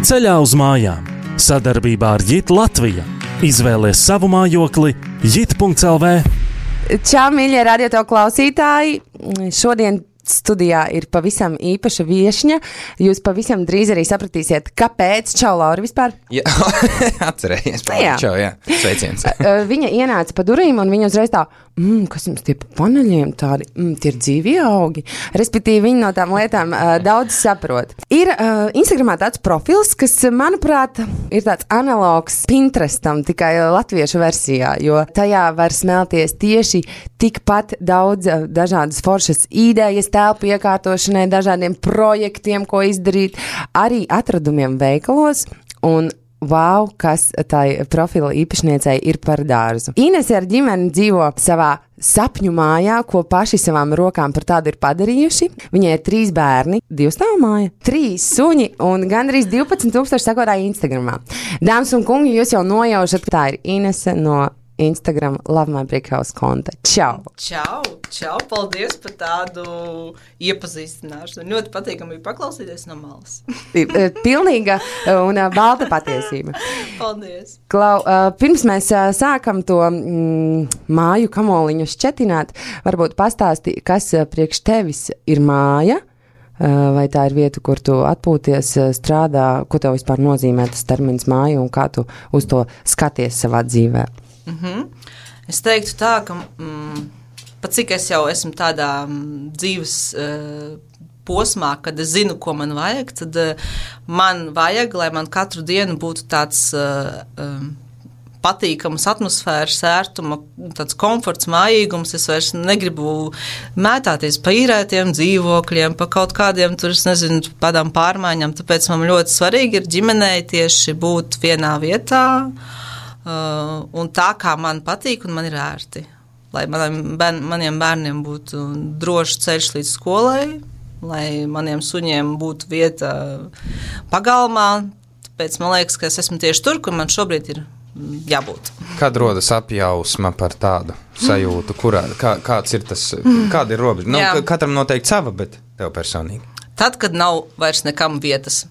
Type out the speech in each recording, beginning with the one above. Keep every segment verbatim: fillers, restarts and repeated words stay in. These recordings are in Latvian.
Ceļā uz mājām. Sadarbībā ar Jit Latvija. Izvēlies savu mājokli jit punkts el vē. Čau, mīļie radio klausītāji! Šodien studijā ir pavisam īpaša viešņa. Jūs pavisam drīz arī sapratīsiet, kāpēc. Čau, Laura, vispār? Jā, atcerējies. Jā. Čau, jā. Sveiciens. Viņa ienāca pa durvīm un viņa uzreiz tā, mm, kas jums tie pa paneļiem tādi, mm, tie ir dzīvi augi. Respektīvi, viņa no tām lietām uh, daudz saprot. Ir uh, Instagramā tāds profils, kas, manuprāt, ir tāds analogs Pinterestam, tikai latviešu versijā, jo tajā var smelties tieši tikpat daudz uh, dažādas foršas idejas, telpu iekārtošanai, dažādiem projektiem, ko izdarīt, arī atradumiem veikalos un wow, kas tai profila īpašniecei ir par dārzu. Inese ar ģimeni dzīvo savā sapņu mājā, ko paši savām rokām par tādu ir padarījuši. Viņai ir trīs bērni, divu stāvu māja, trīs suņi un gandrīz divpadsmit tūkstoši sekotāji Instagramā. Dāmas un kungi, jūs jau nojaušat, ka tā ir Inese no Instagram Love My Brick House konta. Čau! Čau, čau, paldies par tādu iepazīstināšanu. Ļoti patīkami bija paklausīties no malas. Pilnīga un balta patiesība. Paldies! Klau, pirms mēs sākam to mm, māju kamoliņu šķetināt, varbūt pastāsti, kas priekš tevis ir māja, vai tā ir vieta, kur tu atpūties, strādā, ko tev vispār nozīmē tas termins māja un kā tu uz to skaties savā dzīvē? Mm-hmm. Es teiktu tā, ka mm, pat cik es jau esmu tādā mm, dzīves uh, posmā, kad es zinu, ko man vajag, tad uh, man vajag, lai man katru dienu būtu tāds uh, um, patīkams atmosfēras, ērtuma, tāds komforts, mājīgums. Es vairs negribu mētāties pa īrētiem dzīvokļiem, pa kaut kādiem, tur es nezinu, padām pārmaiņām, tāpēc man ļoti svarīgi ir ģimenei tieši būt vienā vietā, Uh, un tā, kā man patīk un man ir ērti. Lai maniem, bērn, maniem bērniem būtu drošs ceļš līdz skolai, lai maniem suņiem būtu vieta pagalmā. Tāpēc man liekas, ka es esmu tieši tur, kur man šobrīd ir jābūt. Kad rodas apjausma par tādu sajūtu? Kurā, kā, kāds ir tas, kāda ir robeža? Nu, katram noteikti sava, bet tev personīgi. Tad, kad nav vairs nekam vietas.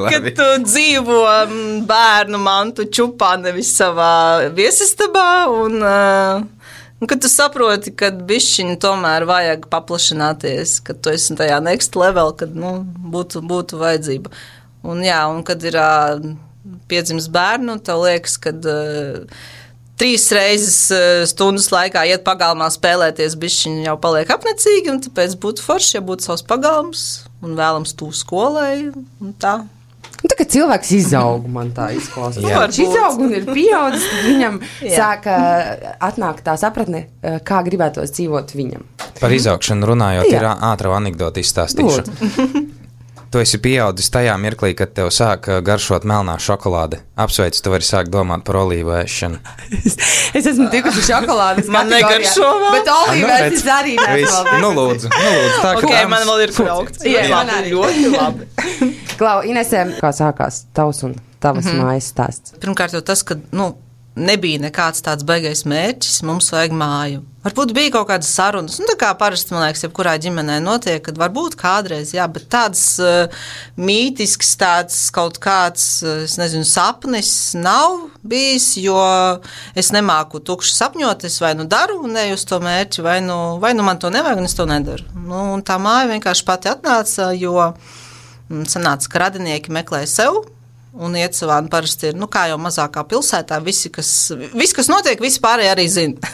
Kad tu dzīvo bērnu mantu čupā, nevis savā viesistabā, un, un kad tu saproti, ka bišķiņi tomēr vajag paplašināties, kad tu esi tajā next level, kad nu, būtu, būtu vajadzība. Un jā, un kad ir piedzimis bērnu, tev liekas, kad trīs reizes stundas laikā iet pagalmā spēlēties, bišķiņi jau paliek apnecīgi, un tāpēc būtu forši, ja būtu savs pagalms un vēlams tū skolai, un tā. Un tā, kad cilvēks izaug, man tā izklausās. Viņš izaug un ir pieaudzis, viņam sāka atnākt tā sapratne, kā gribētos dzīvot viņam. Par izaugšanu runājot, Jā. Ir ātra anekdota izstāstīšu. Tu esi pieaudzis tajā mirklī, kad tev sāk garšot melnā šokolāde. Apsveic, tu vari sākt domāt par olīvu ēšanu. es, es esmu tikusi šokolādes man negaršo vēl. Bet olīves es arī neesmu. Nu lūdzu, nu lūdzu. Tā, ok, man vēl ir kraukts. Jā, man arī. Ļoti labi. Klau, Inese, kā sākās tavs un tavas mm-hmm. mājas stāsts? Pirmkārt jau tas, ka, nu, nebija nekāds tāds baigais mērķis, mums vajag māju. Varbūt bija kaut kādas sarunas, nu tā kā parasti, man liekas, jebkurā ģimenē notiek, kad varbūt kādreiz, jā, bet tāds uh, mītisks, tāds kaut kāds, uh, es nezinu, sapnis nav bijis, jo es nemāku tukši sapņot, es vai nu daru un neju uz to mērķi, vai nu, vai nu man to nevajag un es to nedaru. Nu, un tā māja vienkārši pati atnāca, jo mm, sanāca, ka radinieki meklē sev, un iet savā, un parasti ir, nu, kā jau mazākā pilsētā, visi, kas, visi, kas notiek, visi pārējie arī zina.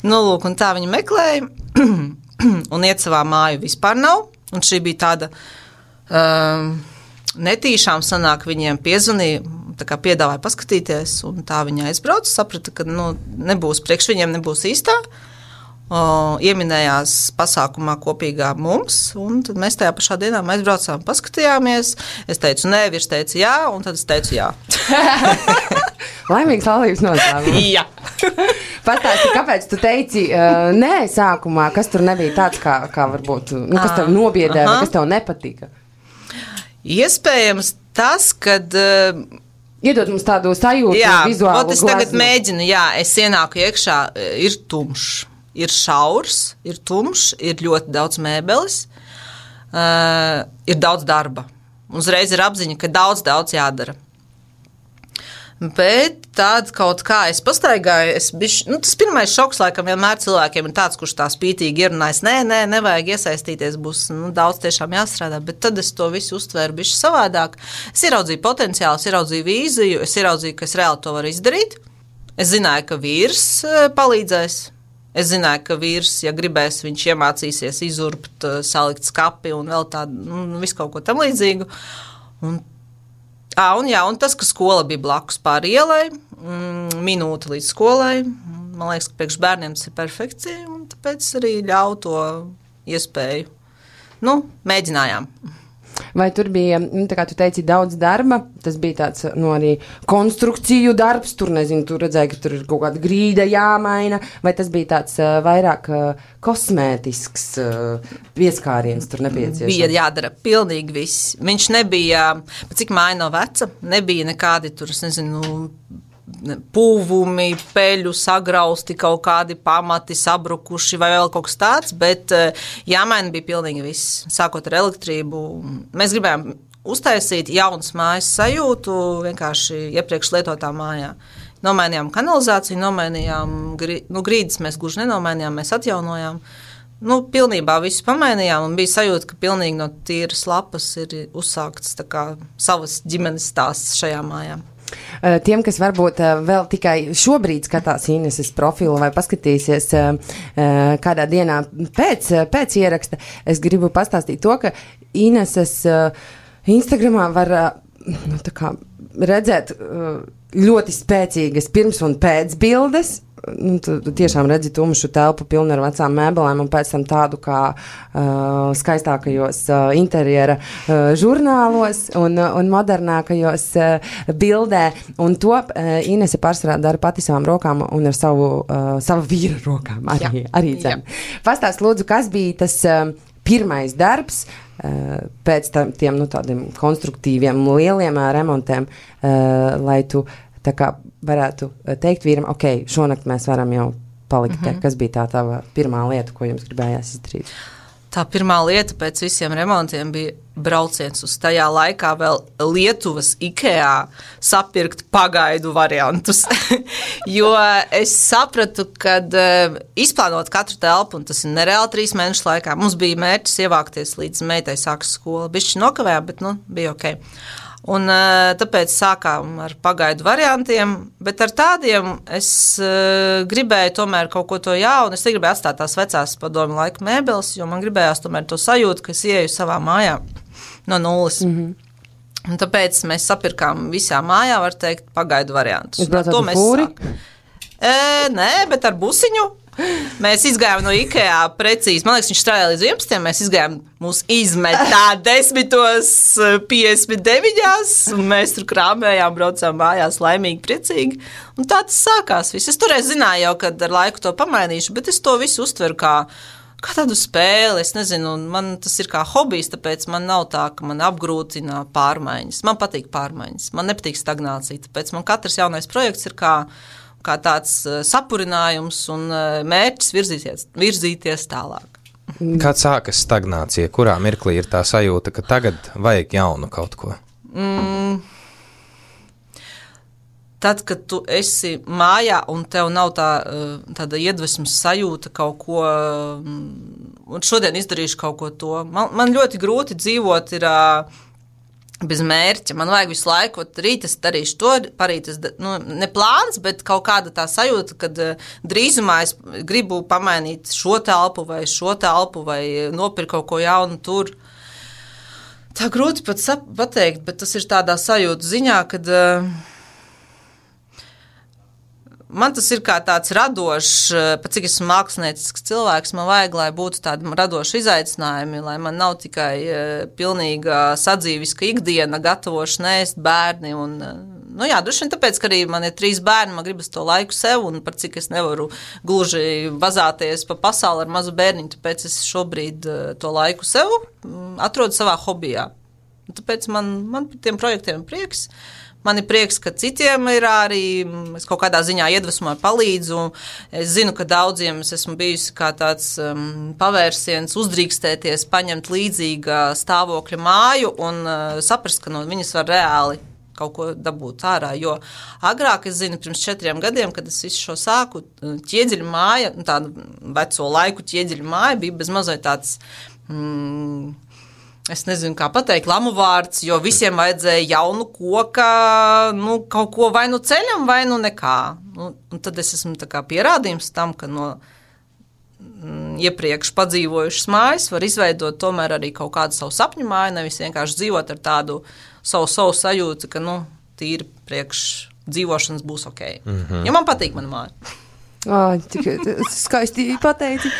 Nu, lūk, un tā viņi meklēja, un iet savā māju vispār nav, un šī bija tāda um, netīšām sanāk, viņiem piezvanīja, tā kā piedāvāja paskatīties, un tā viņa aizbrauca, saprata, ka, nu, nebūs, priekš viņiem nebūs īstā, O, ieminējās pasākumā kopīgā mums, un tad mēs tajā pašā dienā aizbraucām, paskatījāmies. Es teicu nē, vīrs teica jā, un tad es teicu jā. Laimīgs laulības noslēgums. Jā. Pastāsti, kāpēc tu teici uh, nē sākumā, kas tur nebija tāds, kā, kā varbūt, nu, kas tev nobiedē, vai kas tev nepatika? Iespējams tas, kad... Uh, Iedod mums tādu sajūtu, jā, vizuālu glazmu. Jā, es tagad mēģinu, jā, es ienāku iekšā, ir tumšs. Ir šaurs, ir tumšs, ir ļoti daudz mēbeles, uh, ir daudz darba. uzreiz ir apziņa, ka daudz, daudz jādara. Bet tāda kaut kā es pastaigāju, es bišķi, nu, tas pirmais šoks, laikam, vienmēr cilvēkiem ir tāds, kurš tā spītīgi ierunājas, nē, nē, nevajag iesaistīties, būs nu, daudz tiešām jāstrādā, bet tad es to visu uztvēru bišķi savādāk. Es ieraudzīju potenciālu, es ieraudzīju vīziju, es ieraudzīju, ka es reāli to varu izdarīt. Es zināju, ka vīrs palīdzēs. Es zināju, ka vīrs, ja gribēs, viņš iemācīsies izurbt, salikt skapi un vēl tādu, nu, visu kaut ko tam līdzīgu. Un À, un, jā, un tas, ka skola bija blakus pāri ielai, mm, minūte līdz skolai, man liekas, ka priekš bērniem tas ir perfekcija, un tāpēc arī ļauj to iespēju. Nu, mēģinājām. Vai tur bija, nu, tā kā tu teici, daudz darba, tas bija tāds, nu, arī konstrukciju darbs, tur, nezinu, tu redzēji, ka tur ir kaut kāda grīda jāmaina, vai tas bija tāds uh, vairāk uh, kosmētisks uh, pieskāriens tur nepieciešams? Bija jādara pilnīgi viss. Viņš nebija, cik māja nav veca, nebija nekādi tur, es nezinu, pūvumi, peļu sagrausti, kaut kādi pamati sabrukuši vai vēl kaut kas tāds, bet jāmaina bija pilnīgi viss, sākot ar elektrību. Mēs gribējām uztaisīt jaunas mājas sajūtu vienkārši iepriekš lietotā mājā. Nomainījām kanalizāciju, nomainījām nu, grīdas, mēs gluži nenomainījām, mēs atjaunojām. Nu, pilnībā visu pamainījām un bija sajūta, ka pilnīgi no tīras lapas ir uzsākts tā kā savas ģimenes stāsts šajā mājā. Tiem, kas varbūt vēl tikai šobrīd skatās Ineses profilu vai paskatīsies kādā dienā pēc, pēc ieraksta, es gribu pastāstīt to, ka Ineses Instagramā var nu, tā kā redzēt ļoti spēcīgas pirms un pēc bildes. Nu, tu, tu tiešām redzi tumšu telpu pilnu ar vecām mēbelēm un pēc tam tādu kā uh, skaistākajos uh, interjera uh, žurnālos un, uh, un modernākajos uh, bildē. Un to uh, Inese pārsvarā dara pati savām rokām un ar savu, uh, savu vīru rokām arī, arī dzem. Pastāst, lūdzu, kas bija tas uh, pirmais darbs uh, pēc tam, tiem nu, tādiem konstruktīviem lieliem uh, remontiem, uh, lai tu tā kā varētu teikt vīram, ok, šonakt mēs varam jau palikt te. Mm-hmm. Kas bija tā tava pirmā lieta, ko jums gribējās izdarīt? Tā pirmā lieta pēc visiem remontiem bija brauciens uz tajā laikā vēl Lietuvas IKEA sapirkt pagaidu variantus. Jo es sapratu, kad uh, izplānot katru telpu, un tas ir nereāli trīs mēnešu laikā, mums bija mērķis ievākties līdz meitai sākas skola. Bišķi nokavējām, bet nu, bija ok. Un tāpēc sākām ar pagaidu variantiem, bet ar tādiem es uh, gribēju tomēr kaut ko to jaunu. Es negribēju atstāt tās vecās padomju laika mēbeles, jo man gribējās tomēr to sajūtu, ka es ieju savā mājā no nulles. Mm-hmm. Un tāpēc mēs sapirkām visā mājā, var teikt, pagaidu variantus. Jūs braucāt ar fūri? E, nē, bet ar busiņu. Mēs izgājām no IKEA precīzi, man liekas, viņš strādāja līdz vienpadsmitiem, mēs izgājām, mūs izmetā desmitos piecdesmit deviņās, un mēs tur krāmējām, braucām mājās laimīgi, priecīgi, un tā tas sākās viss. Es toreiz zināju jau, kad ar laiku to pamainīšu, bet es to visu uztveru kā, kā tādu spēli, es nezinu, un man tas ir kā hobijs, tāpēc man nav tā, ka man apgrūtina pārmaiņas. Man patīk pārmaiņas, man nepatīk stagnācija, tāpēc man katrs jaunais projekts ir kā kā tāds sapurinājums un mērķis virzīties, virzīties tālāk. Kad sākas stagnācija? Kurā mirklī ir tā sajūta, ka tagad vajag jaunu kaut ko? Mm, tad, kad tu esi mājā un tev nav tā, tāda iedvesmas sajūta kaut ko, un šodien izdarīšu kaut ko to. Man, man ļoti grūti dzīvot ir bez mērķa. Man vajag visu laiku, rīt es darīšu to, parīt es, nu, ne plāns, bet kaut kāda tā sajūta, kad drīzumā es gribu pamainīt šo telpu vai šo telpu vai nopirkt kaut ko jaunu tur. Tā grūti pat pateikt, bet tas ir tādā sajūta ziņā, kad uh, man tas ir kā tāds radošs, pat cik esmu māksliniecisks cilvēks, man vajag, lai būtu tādi radoši izaicinājumi, lai man nav tikai uh, pilnīga sadzīviska ikdiena, gatavošana ēst bērni. Un, uh, nu jā, droši vien tāpēc, ka arī man ir trīs bērni, man gribas to laiku sev, un par cik es nevaru gluži vazāties pa pasauli ar mazu bērniņu, tāpēc es šobrīd uh, to laiku sev um, atrodu savā hobijā. Un tāpēc man, man par tiem projektiem prieks. Man ir prieks, ka citiem ir arī, es kaut kādā ziņā iedvesmoju, palīdzu. Es zinu, ka daudziem es esmu bijusi kā tāds um, pavērsiens uzdrīkstēties, paņemt līdzīga stāvokļa māju un uh, saprast, ka no viņas var reāli kaut ko dabūt ārā, jo agrāk es zinu, pirms četriem gadiem, kad es visu šo sāku, ķieģeļu māja, tādu veco laiku ķieģeļu māja bija bez mazai tāds, mm, es nezinu, kā pateikt, lamu vārds, jo visiem vajadzēja jaunu koka, nu, kaut ko vai nu ceļam, vai nu nekā. Nu, un tad es esmu tā kā pierādījums tam, ka no mm, iepriekš padzīvojušas mājas var izveidot tomēr arī kaut kādu savu sapņu māju, nevis vienkārši dzīvot ar tādu savu, savu sajūtu, ka, nu, tīri priekš dzīvošanas būs ok. Mm-hmm. Jo man patīk mana māja. Oh, tik skaisti pateici.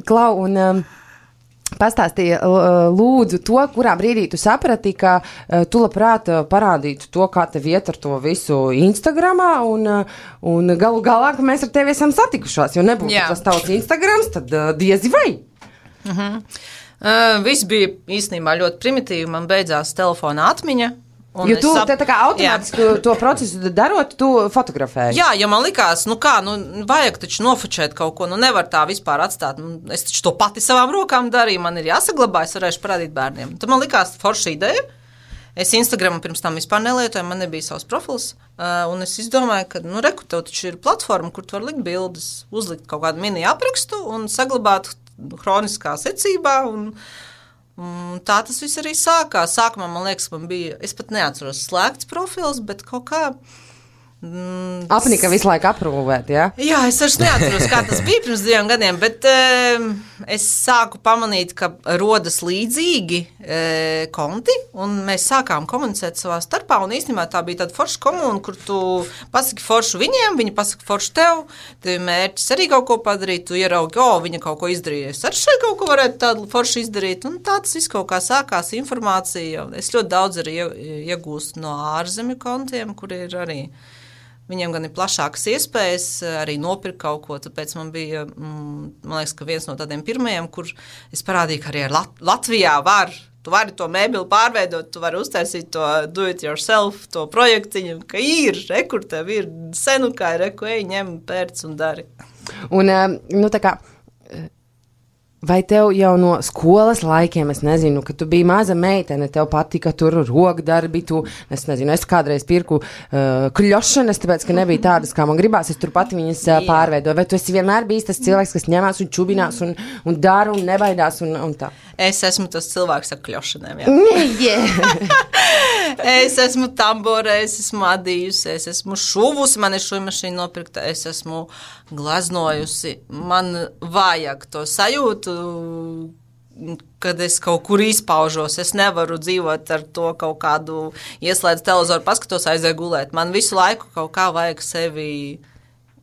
Klau, un um, pastāstīja lūdzu to, kurā brīdī tu saprati, ka uh, tu labprāt parādītu to, kā tev iet ar to visu Instagramā, un, uh, un galu galā, ka mēs ar tevi esam satikušās, jo nebūtu Jā. Tas tavs Instagrams, tad uh, diezi vai. Mhm. Uh, viss bija īstenībā ļoti primitīvi, man beidzās telefona atmiņa. Jo tu sap... te tā kā automātiski jā. To procesu darot, tu fotografēji. Jā, jo man likās, nu kā, nu vajag taču nofočēt kaut ko, nu nevar tā vispār atstāt. Nu, es taču to pati savām rokām darīju, man ir jāsaglabā, es varēšu parādīt bērniem. Tad man likās forša ideja. Es Instagramu pirms tam vispār nelietoju, man nebija savs profils, uh, un es izdomāju, ka, nu reku, tev taču ir platforma, kur tu var likt bildes, uzlikt kaut kādu mini aprakstu un saglabāt hroniskā secībā, un, un tā tas viss arī sākās. Sākumā, man liekas, man bija, es pat neatceros slēgts profils, bet kaut kā... Mm, Apnika visu laiku aprūvēt, jā? Jā, es vairs neatceros, kā tas bija pirms diviem gadiem, bet e, es sāku pamanīt, ka rodas līdzīgi e, konti, un mēs sākām komunicēt savā starpā, un īstenībā tā bija tāda forša komuna, kur tu pasaki foršu viņiem, viņi pasaka foršu tev, tev mērķis arī kaut ko padarīt, tu ieraugi, o, viņa kaut ko izdarīja, es arī šeit kaut ko varētu tādu foršu izdarīt, un tā tas viss kaut kā sākās informācija. Es ļoti daudz arī iegūstu no ārzemju kontiem, kur ir arī viņiem gan ir plašākas iespējas arī nopirkt kaut ko, tāpēc man bija, man liekas, ka viens no tādiem pirmajiem, kur es parādīju, ka arī Lat- Latvijā var, tu vari to mēbili pārveidot, tu vari uztaisīt to do it yourself, to projektiņu, ka ir, rekur tev ir senukai, reku, ej, ņem, pērc un dari. Un, nu tā kā, vai tev jau no skolas laikiem, es nezinu, ka tu biji maza meitene, tev patika tur rokdarbi, tu, es nezinu, es kādreiz pirku uh, kļošanas, tāpēc, ka nebija tādas, kā man gribās, es tur pati viņas uh, pārveidoju. Vai tu esi vienmēr bijis tas cilvēks, kas ņemās un čubinās un, un dara un nebaidās un, un tā? Es esmu tas cilvēks ar kļošaniem, jā. Yeah. Es esmu tamborē, es esmu adījusi, es esmu šuvusi, man ir šuvimašīna nopirkta, es esmu glaznojusi. Man vajag to sajūtu, kad es kaut kur izpaužos. Es nevaru dzīvot ar to kaut kādu ieslēdzu televizoru, paskatos, aizēju gulēt. Man visu laiku kaut kā vajag sevi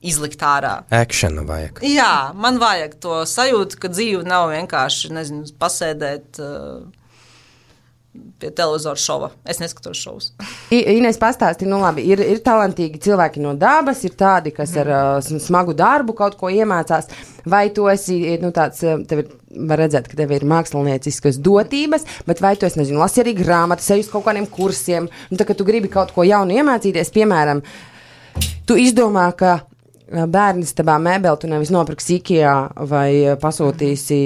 izlikt ārā. Actionu vajag. Jā, man vajag to sajūtu, ka dzīve nav vienkārši, nezinu, pasēdēt uh, pie televizora šova. Es neskatos šovus. Inês pastāsti, nu labi, ir, ir talantīgi cilvēki no dabas, ir tādi, kas ar uh, smagu darbu kaut ko iemācās, vai tu esi, nu tāds, tev ir, var redzēt, ka tev ir mākslinieciskas dotības, bet vai tu esi, nezinu, lasi arī grāmatas, ej uz kaut kādiem kursiem, nu tā, ka tu gribi kaut ko jaunu iemācīties, piemēram, tu izdomā, ka bērnis tabā mēbeli tu nevis nopirksi Ikea vai pasūtīsi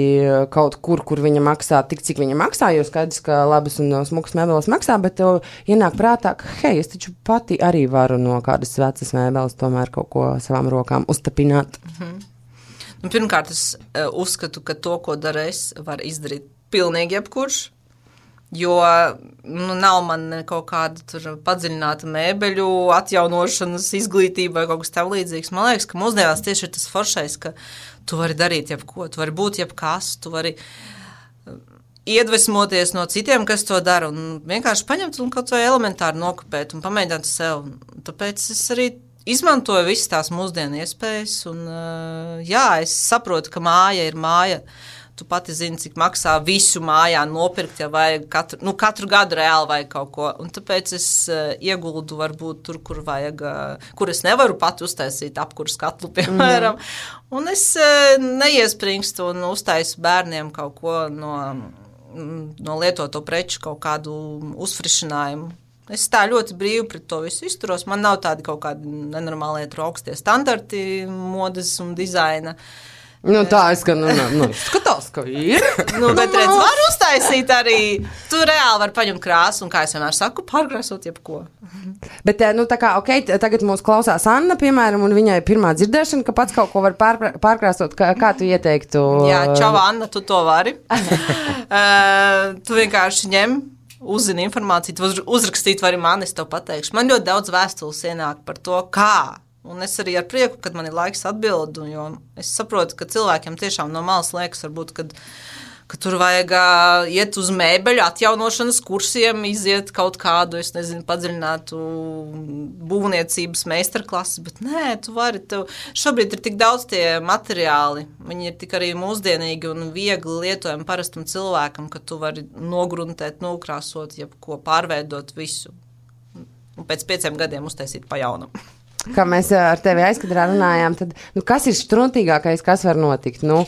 kaut kur, kur viņa maksā tik, cik viņa maksā, jo skaidrs, ka labas un smukas mēbeles maksā, bet tev ienāk prātā, ka hei, es taču pati arī varu no kādas vecas mēbeles tomēr kaut ko savām rokām uztapināt. Mhm. Nu, pirmkārt, es uh, uzskatu, ka to, ko dara es, var izdarīt pilnīgi jebkurš. Jo nu, nav man kaut kāda tur padziļināta mēbeļu atjaunošanas izglītība vai kaut kas tam līdzīgs. Man liekas, ka mūsdienās tieši ir tas foršais, ka tu vari darīt jebko, tu vari būt jebkas, tu vari iedvesmoties no citiem, kas to dara, un vienkārši paņemt un kaut vai elementāri nokopēt un pamēģināt sev. Tāpēc es arī izmantoju visas tās mūsdienu iespējas, un jā, es saprotu, ka māja ir māja. Tu pati zini, cik maksā visu mājā nopirkt, ja vajag katru, nu, katru gadu reāli vajag kaut ko. Un tāpēc es uh, ieguldu varbūt tur, kur vajag, uh, kur es nevaru pati uztaisīt apkurs katlu, piemēram. Mm. Un es uh, neiespringstu un uztaisu bērniem kaut ko no, no lietoto preču, kaut kādu uzfrišinājumu. Es tā ļoti brīvi pret to visu izturos. Man nav tādi kaut kādi nenormāli augstie standarti modes un dizaina. Nu, tā es gan nu, nu, skatās, ka ir. Nu, bet redz, var uztaisīt arī. Tu reāli var paņemt krāsu un, kā es vienmēr saku, pārkrāsot jebko. Bet, nu, tā kā, ok, tagad mūs klausās Anna, piemēram, un viņai pirmā dzirdēšana, ka pats kaut ko var pār, pārkrāsot. Kā, kā tu ieteiktu? Jā, čau, Anna, tu to vari. uh, tu vienkārši ņem, uzzini informāciju, tu uzrakstīt vari man, es tev pateikšu. Man ļoti daudz vēstules ienāk par to, kā. Un es arī ar prieku, kad man ir laiks atbildu, jo es saprotu, ka cilvēkiem tiešām no malas liekas, varbūt, kad, ka tur vajag uh, iet uz mēbeļu atjaunošanas kursiem, iziet kaut kādu, es nezinu, padziļinātu būvniecības meistarklases, bet nē, tu vari, tev šobrīd ir tik daudz tie materiāli, viņi ir tik arī mūsdienīgi un viegli lietojami parastam cilvēkam, ka tu vari nogruntēt, nokrāsot, jebko pārveidot visu. Un pēc pieciem gadiem uztaisīt pa jaunam. Kā mēs ar tevi aizkadrā runājām, tad, nu, kas ir štruntīgākais, kas var notikt? Nu,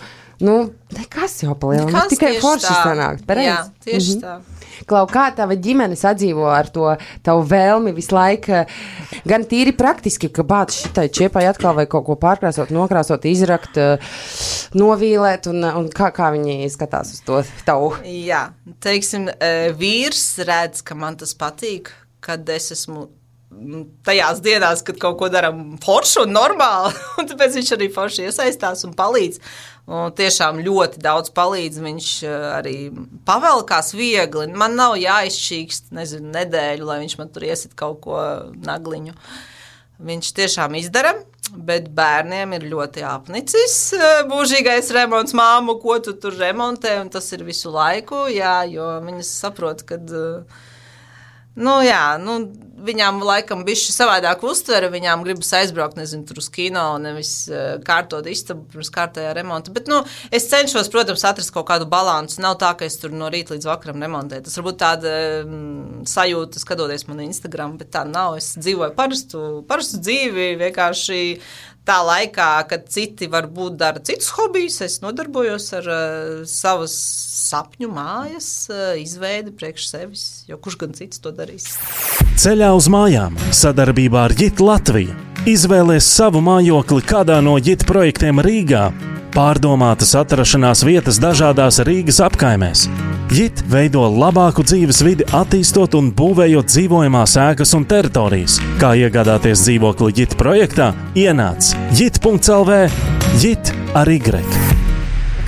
nu nekas jau palielam, nu, tikai forši sanākt. Pareiz? Jā, tieši mhm. tā. Klau, kā tava ģimene sadzīvo ar to tavu vēlmi visu laiku, gan tīri praktiski, ka bāc šitai čiepai atkal vai kaut ko pārkrāsot, nokrāsot, izrakt, novīlēt, un, un kā, kā viņi skatās uz to tavu? Jā, teiksim, vīrs redz, ka man tas patīk, kad es esmu tajās dienās, kad kaut ko daram foršu un normāli, un tāpēc viņš arī forši iesaistās un palīdz. Un tiešām ļoti daudz palīdz, viņš arī pavelkās viegli. Man nav jāizšķīkst, nezinu, nedēļu, lai viņš man tur iesit kaut ko nagliņu. Viņš tiešām izdara, bet bērniem ir ļoti apnicis mūžīgais remonts, māmu, ko tu tur remontē, un tas ir visu laiku, jā, jo viņas saprot, kad... Nu, jā, nu, viņām laikam bišķi savādāk uztvere, viņām gribas aizbraukt, nezinu, tur uz kino, nevis uh, kārtot istabu pirms kārtējā remonta. Bet, nu, es cenšos, protams, atrast kaut kādu balansu. Nav tā, ka es tur no rīta līdz vakaram remontēju. Tas varbūt tāda um, sajūta, skatoties man Instagram, bet tā nav. Es dzīvoju parastu, parastu dzīvi, vienkārši tā laikā, kad citi varbūt dara citus hobijus, es nodarbojos ar uh, savas sapņu mājas uh, izveidi priekš sevis, jo kurš gan cits to darīs. Ceļā uz mājām sadarbībā ar J I T Latvija. Izvēlies savu mājokli kādā no J I T projektiem Rīgā. Pārdomātas atrašanās vietas dažādās Rīgas apkaimēs. J I T veido labāku dzīves vidi, attīstot un būvējot dzīvojamās ēkas un teritorijas. Kā iegādāties dzīvokli J I T projektā? Ienāc J I T punkts L V, J I T ar Y.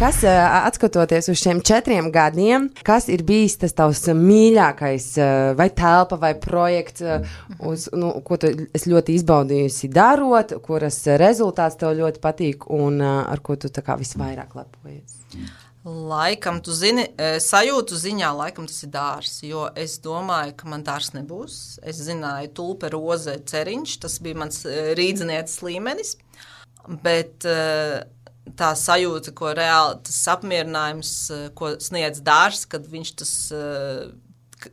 Kas, atskatoties uz šiem četriem gadiem, kas ir bijis tas tavs mīļākais vai telpa vai projekts, uz, nu, ko tu es ļoti izbaudījusi darot, kuras rezultāts tev ļoti patīk un ar ko tu tā kā visvairāk lepojies? Laikam, tu zini, sajūtu ziņā, laikam tas ir dārs, jo es domāju, ka man dārs nebūs. Es zināju tulpe, roze, ceriņš, tas bija mans rīdzinieces līmenis, bet tā sajūta, ko reāli, tas apmierinājums, ko sniedz dārs, kad viņš tas,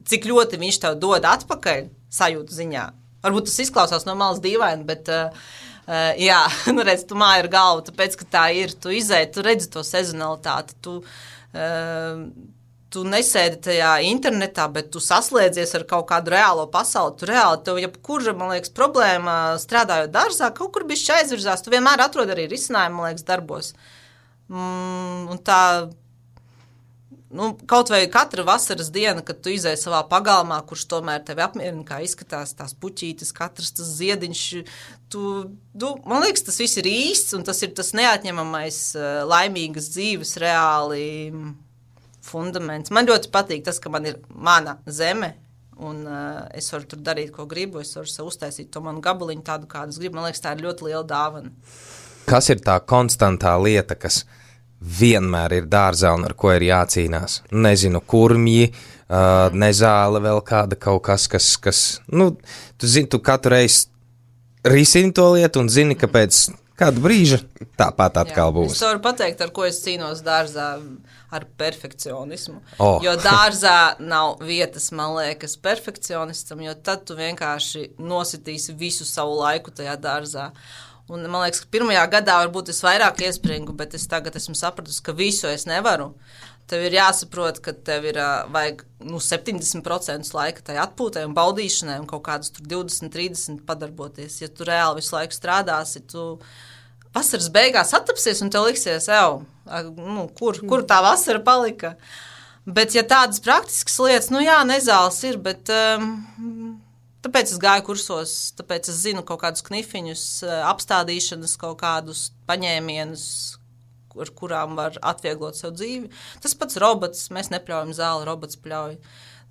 cik ļoti viņš tev dod atpakaļ sajūtu ziņā. Varbūt tas izklausās no malas dīvaini, bet uh, jā, nu redz, tu māji ar galvu, tāpēc, ka tā ir, tu izēji, tu redzi to sezonalitāti, tu, uh, tu nesēdi tajā internetā, bet tu saslēdzies ar kaut kādu reālo pasauli, tu reāli, tev jebkura, man liekas, problēma strādājot dārzā, kaut kur bišķi aizvirzās, tu vienmēr atrod arī risinājumu, man liekas, darbos. Mm, un tā, nu, kaut vai katra vasaras diena, kad tu izēji savā pagalmā, kurš tomēr tevi apmierina, kā izskatās tās puķītes, katrs tas ziediņš, tu, tu, man liekas, tas viss ir īsts, un tas ir tas neatņemamais laimīgas dzīves reāli fundaments. Man ļoti patīk tas, ka man ir mana zeme, un uh, es varu tur darīt, ko gribu, es varu sev uztaisīt to manu gabaliņu tādu, kādu es gribu. Man liekas, tā ir ļoti liela dāvana. Kas ir tā konstantā lieta, kas vienmēr ir dārzā un ar ko ir jācīnās? Nezinu, kurmji, uh, nezāle, vēl kāda kaut kas, kas, kas nu, tu zini, tu katru reizi risini to lietu un zini, ka pēc kādu brīža tāpat atkal būs. Es varu pateikt, ar ko es cīnos dārzā, ar perfekcionismu. Oh. Jo dārzā nav vietas, man liekas, perfekcionistam, jo tad tu vienkārši nositīsi visu savu laiku tajā dārzā. Un man liekas, ka pirmajā gadā varbūt es vairāk iespringu, bet es tagad esmu sapratusi, ka visu es nevaru. tev ir jāsaprot, ka tev ir vajag nu, septiņdesmit procenti laika tai atpūtai un baudīšanai un kaut kādus tur divdesmit trīsdesmit padarboties. Ja tu reāli visu laiku strādāsi, tu vasaras beigās attapsies un tev liksies, ev, nu, kur, kur tā vasara palika. Bet, ja tādas praktiskas lietas, nu jā, nezāles ir, bet um, tāpēc es gāju kursos, tāpēc es zinu kaut kādus knifiņus, apstādīšanas, kaut kādus paņēmienus, ar kurām var atvieglot sev dzīvi. Tas pats robots, mēs nepļaujam zāli, robots pļauj.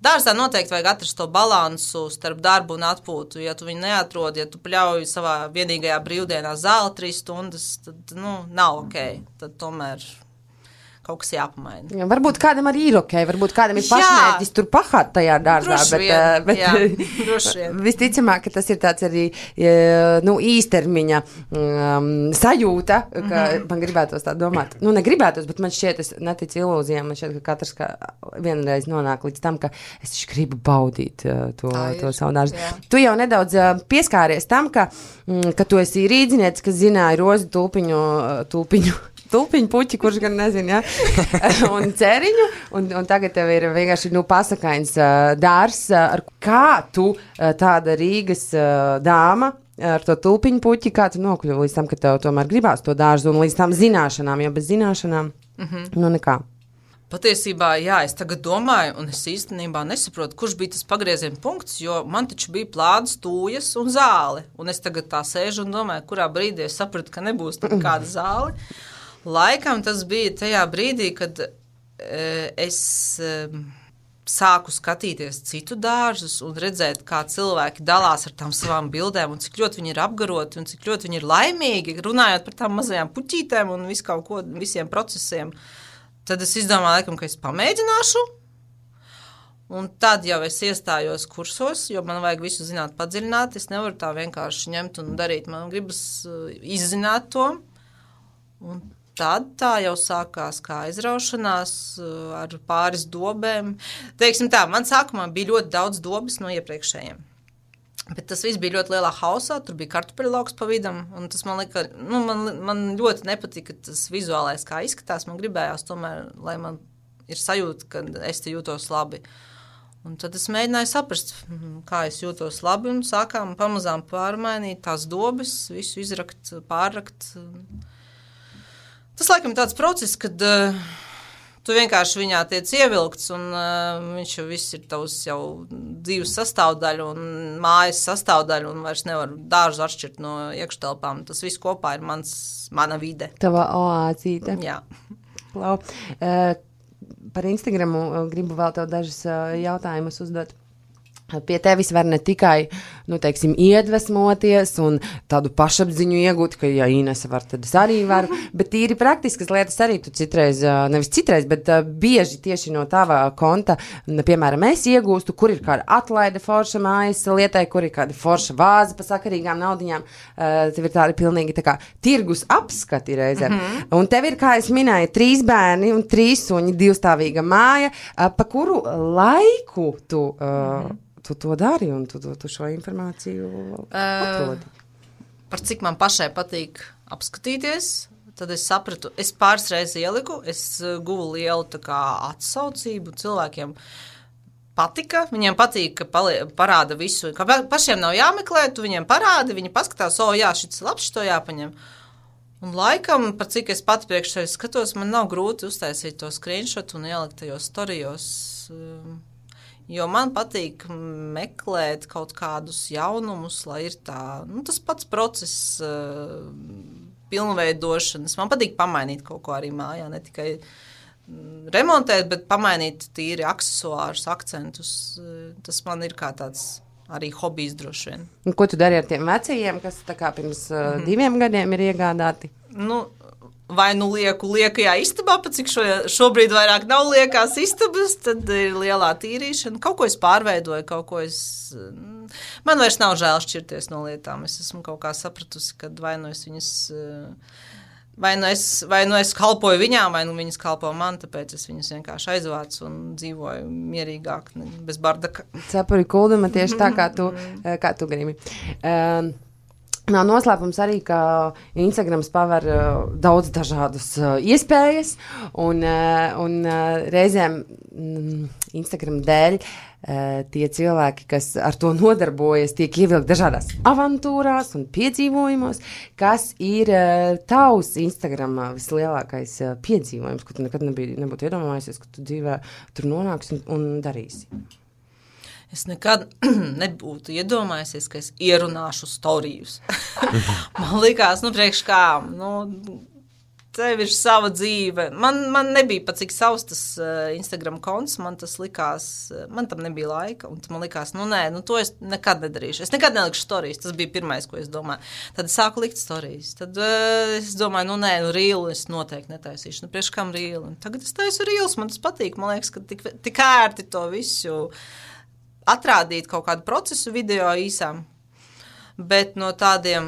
Dārzā noteikti vajag atrast to balansu starp darbu un atpūtu. Ja tu viņu neatrod, ja tu pļauj savā vienīgajā brīvdienā zāli trīs stundas, tad, nu, nav ok. Tad tomēr kaut kas jāpamaina. Ja, varbūt kādam arī ir ok, varbūt kādam ir pašmērķis tur pahāt tajā dārzā, droši bet, vien, bet jā, droši vien. Visticamāk, ka tas ir tāds arī nu, īstermiņa um, sajūta, ka mm-hmm. man gribētos tā domāt. Nu, negribētos, bet man šķiet, es neticu ilūzijām, man šķiet, ka katrs kā vienreiz nonāk līdz tam, ka es taču gribu baudīt uh, to, to savu dārzu. Jā. Tu jau nedaudz uh, pieskāries tam, ka, mm, ka tu esi rīdzinietis, kas zināja rozu tulpiņu, uh, tulpiņu tulpiņu puķi, kurš gan nezinu, ja? un ceriņu, un, un tagad tev ir vienkārši, nu, pasakains uh, dārs. Uh, ar kā tu uh, tāda Rīgas uh, dāma ar to tulpiņu puķi, kā tu nokļuvi līdz tam, ka tev tomēr gribās to dārzu un līdz tām zināšanām, jo bez zināšanām, mm-hmm. nu, nekā. Patiesībā, jā, es tagad domāju, un es īstenībā nesaprotu, kurš bija tas pagrieziena punkts, jo man taču bija plādas, tūjas un zāle, un es tagad tā sēžu un domāju, kurā brīdī es sapratu, ka nebūs nekāda zāle. Laikam tas bija tajā brīdī, kad e, es e, sāku skatīties citu dārzus un redzēt, kā cilvēki dalās ar tām savām bildēm un cik ļoti viņi ir apgaroti un cik ļoti viņi ir laimīgi, runājot par tām mazajām puķītēm un visu kaut ko, visiem procesiem. Tad es izdomāju, laikam, ka es pamēģināšu. Un tad jau es iestājos kursos, jo man vajag visu zināt padziļināt. Es nevaru tā vienkārši ņemt un darīt. Man gribas izzināt to. Un tad tā jau sākās kā aizraušanās ar pāris dobēm. Teiksim tā, man sākumā bija ļoti daudz dobes no iepriekšējiem. Bet tas viss bija ļoti lielā hausā, tur bija kartupeļlauks pa vidam, un tas man lika, nu, man, man ļoti nepatika tas vizuālais, kā izskatās. Man gribējās tomēr, lai man ir sajūta, ka es te jūtos labi. Un tad es mēģināju saprast, kā es jūtos labi, un sākām pamazām pārmainīt tās dobes, visu izrakt, pārrakt. Tas, laikam, tāds process, kad uh, tu vienkārši viņā tiec ievilkts, un uh, viņš jau viss ir tavs jau dzīves sastāvdaļa un mājas sastāvdaļa, un vairs nevar dārzu atšķirt no iekštelpām. Tas viss kopā ir mans, mana vide. Tava oāzīte. Jā. Klau. Uh, par Instagramu gribu vēl tev dažas uh, jautājumus uzdot. Pie tevis var ne tikai, nu, teiksim, iedvesmoties un tādu pašapziņu iegūt, ka, ja Inese var, tad es arī varu, bet tīri praktiskas lietas arī tu citreiz, nevis citreiz, bet bieži tieši no tava konta, piemēram, es iegūstu, kur ir kāda atlaide forša mājas lietai, kur ir kāda forša vāze pa sakarīgām naudiņām, tev ir tādi pilnīgi tā kā tirgus apskati reizēm. Mm-hmm. Un tev ir, kā es minēju, trīs bērni un trīs suņi, divstāvīga māja, pa kuru laiku tu... Mm-hmm. Tu to dari un tu, tu, tu šo informāciju atrodi. Uh, par cik man pašai patīk apskatīties, tad es sapratu, es pāris reizes ieliku, es guvu lielu tā kā atsaucību cilvēkiem. Patika, viņiem patīk, ka palie, parāda visu, ka pašiem nav jāmeklē, tu viņiem parādi, viņi paskatās, o jā, šis labs, šito jāpaņem. Un laikam, par cik es pati priekš sevi skatos, man nav grūti uztaisīt to screenshot un ielikt tajos storijos. Jo man patīk meklēt kaut kādus jaunumus, lai ir tā, nu, tas pats process uh, pilnveidošanas. Man patīk pamainīt kaut ko arī mājā, ne tikai mm, remontēt, bet pamainīt tīri aksesuārus, akcentus. Uh, tas man ir kā tāds arī hobijs droši vien. Un ko tu dari ar tiem vecajiem, kas tā kā pirms uh, mm-hmm. diviem gadiem ir iegādāti? Nu, vai nu lieku liekajā istabā, pat cik šo, šobrīd vairāk nav liekās istabas, tad ir lielā tīrīšana. Kaut ko es pārveidoju, kaut ko es... Man vairs nav žēl šķirties no lietām. Es esmu kaut kā sapratusi, ka vai nu es viņas... Vai nu es, vai nu es kalpoju viņām, vai nu viņas kalpo man, tāpēc es viņas vienkārši aizvācu un dzīvoju mierīgāk, bez bardaka. Cepuri kulduma tieši tā, kā tu, kā tu gribi. Um, Nav noslēpums arī, ka Instagrams paver uh, daudz dažādas uh, iespējas, un, uh, un uh, reizēm mm, Instagram dēļ uh, tie cilvēki, kas ar to nodarbojas, tiek ievilkt dažādās avantūrās un piedzīvojumos, kas ir uh, tavs Instagramā vislielākais uh, piedzīvojums, ko tu nekad nebija, nebūtu iedomājies, ka tu dzīvē tur nonāksi un, un darīsi. Es nekad nebūtu iedomājusies, ka es ierunāšu storijus. Man likās, nu, priekš kā, nu, tev ir sava dzīve. Man, man nebija pat cik savs tas uh, Instagram konts, man tas likās, uh, man tam nebija laika, un man likās, nu, nē, nu, to es nekad nedarīšu. Es nekad nelikšu storijas, tas bija pirmais, ko es domāju. Tad es sāku likt storijas. Tad uh, es domāju, nu, nē, nu, rīlu es noteikti netaisīšu. Nu, priekš kam rīlu? Un tagad es taisu rīlus, man tas patīk. Man liekas, ka tik, tik ērti to visu atrādīt kaut kādu procesu video īsām, bet no tādiem,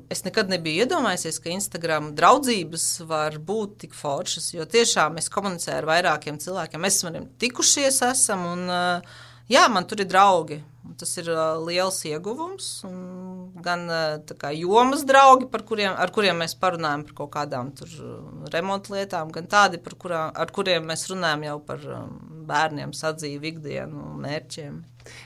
es nekad nebiju iedomājusies, ka Instagram draudzības var būt tik foršas, jo tiešām es komunicēju ar vairākiem cilvēkiem, mēs esam tikušies esam, un jā, man tur ir draugi, un tas ir liels ieguvums, un gan tā kā jomas draugi, par kuriem, ar kuriem mēs parunājam par kaut kādām tur remontlietām, gan tādi, par kurām, ar kuriem mēs runājam jau par bērniem, sadzīvi, ikdienu, mērķiem.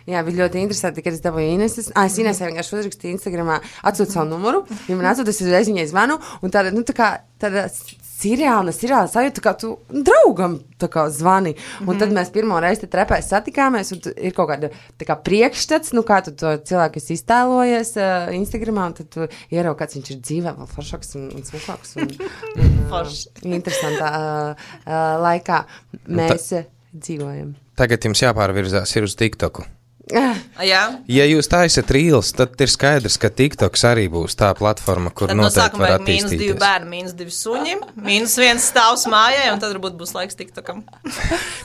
Jā, bija ļoti interesanti, kad es dabūju Ineses. Ah, es Inesē vienkārši uzrakstīju Instagramā, atsūtu savu numuru, ja man atsūtu, es uzreiz viņai zvanu, un tāda, nu, tā kā, tāda seriāla, seriāla sajūta, kā tu draugam tā kā zvani. Un mm-hmm. tad mēs pirmo reizi te trepēs satikāmies, un ir kaut kāda tā kā priekšstats, nu, kā tu to cilvēku esi iztēlojies uh, Instagramā, un tad tu ieraugi, kāds viņš ir dzīvē, vēl foršāks un, un smukāks. Un, un, uh, interesantā uh, uh, laikā mēs uh, dzīvojam. Tagad jums jāpārvirzās ir uz TikToku. Jā. Ja jūs taisat rīls, tad ir skaidrs, ka TikToks arī būs tā platforma, kur tad noteikti var attīstīties. Mīnus divi bērni, mīnus divi suņi, mīnus viens stāvs mājai, un tad varbūt būs laiks TikTokam.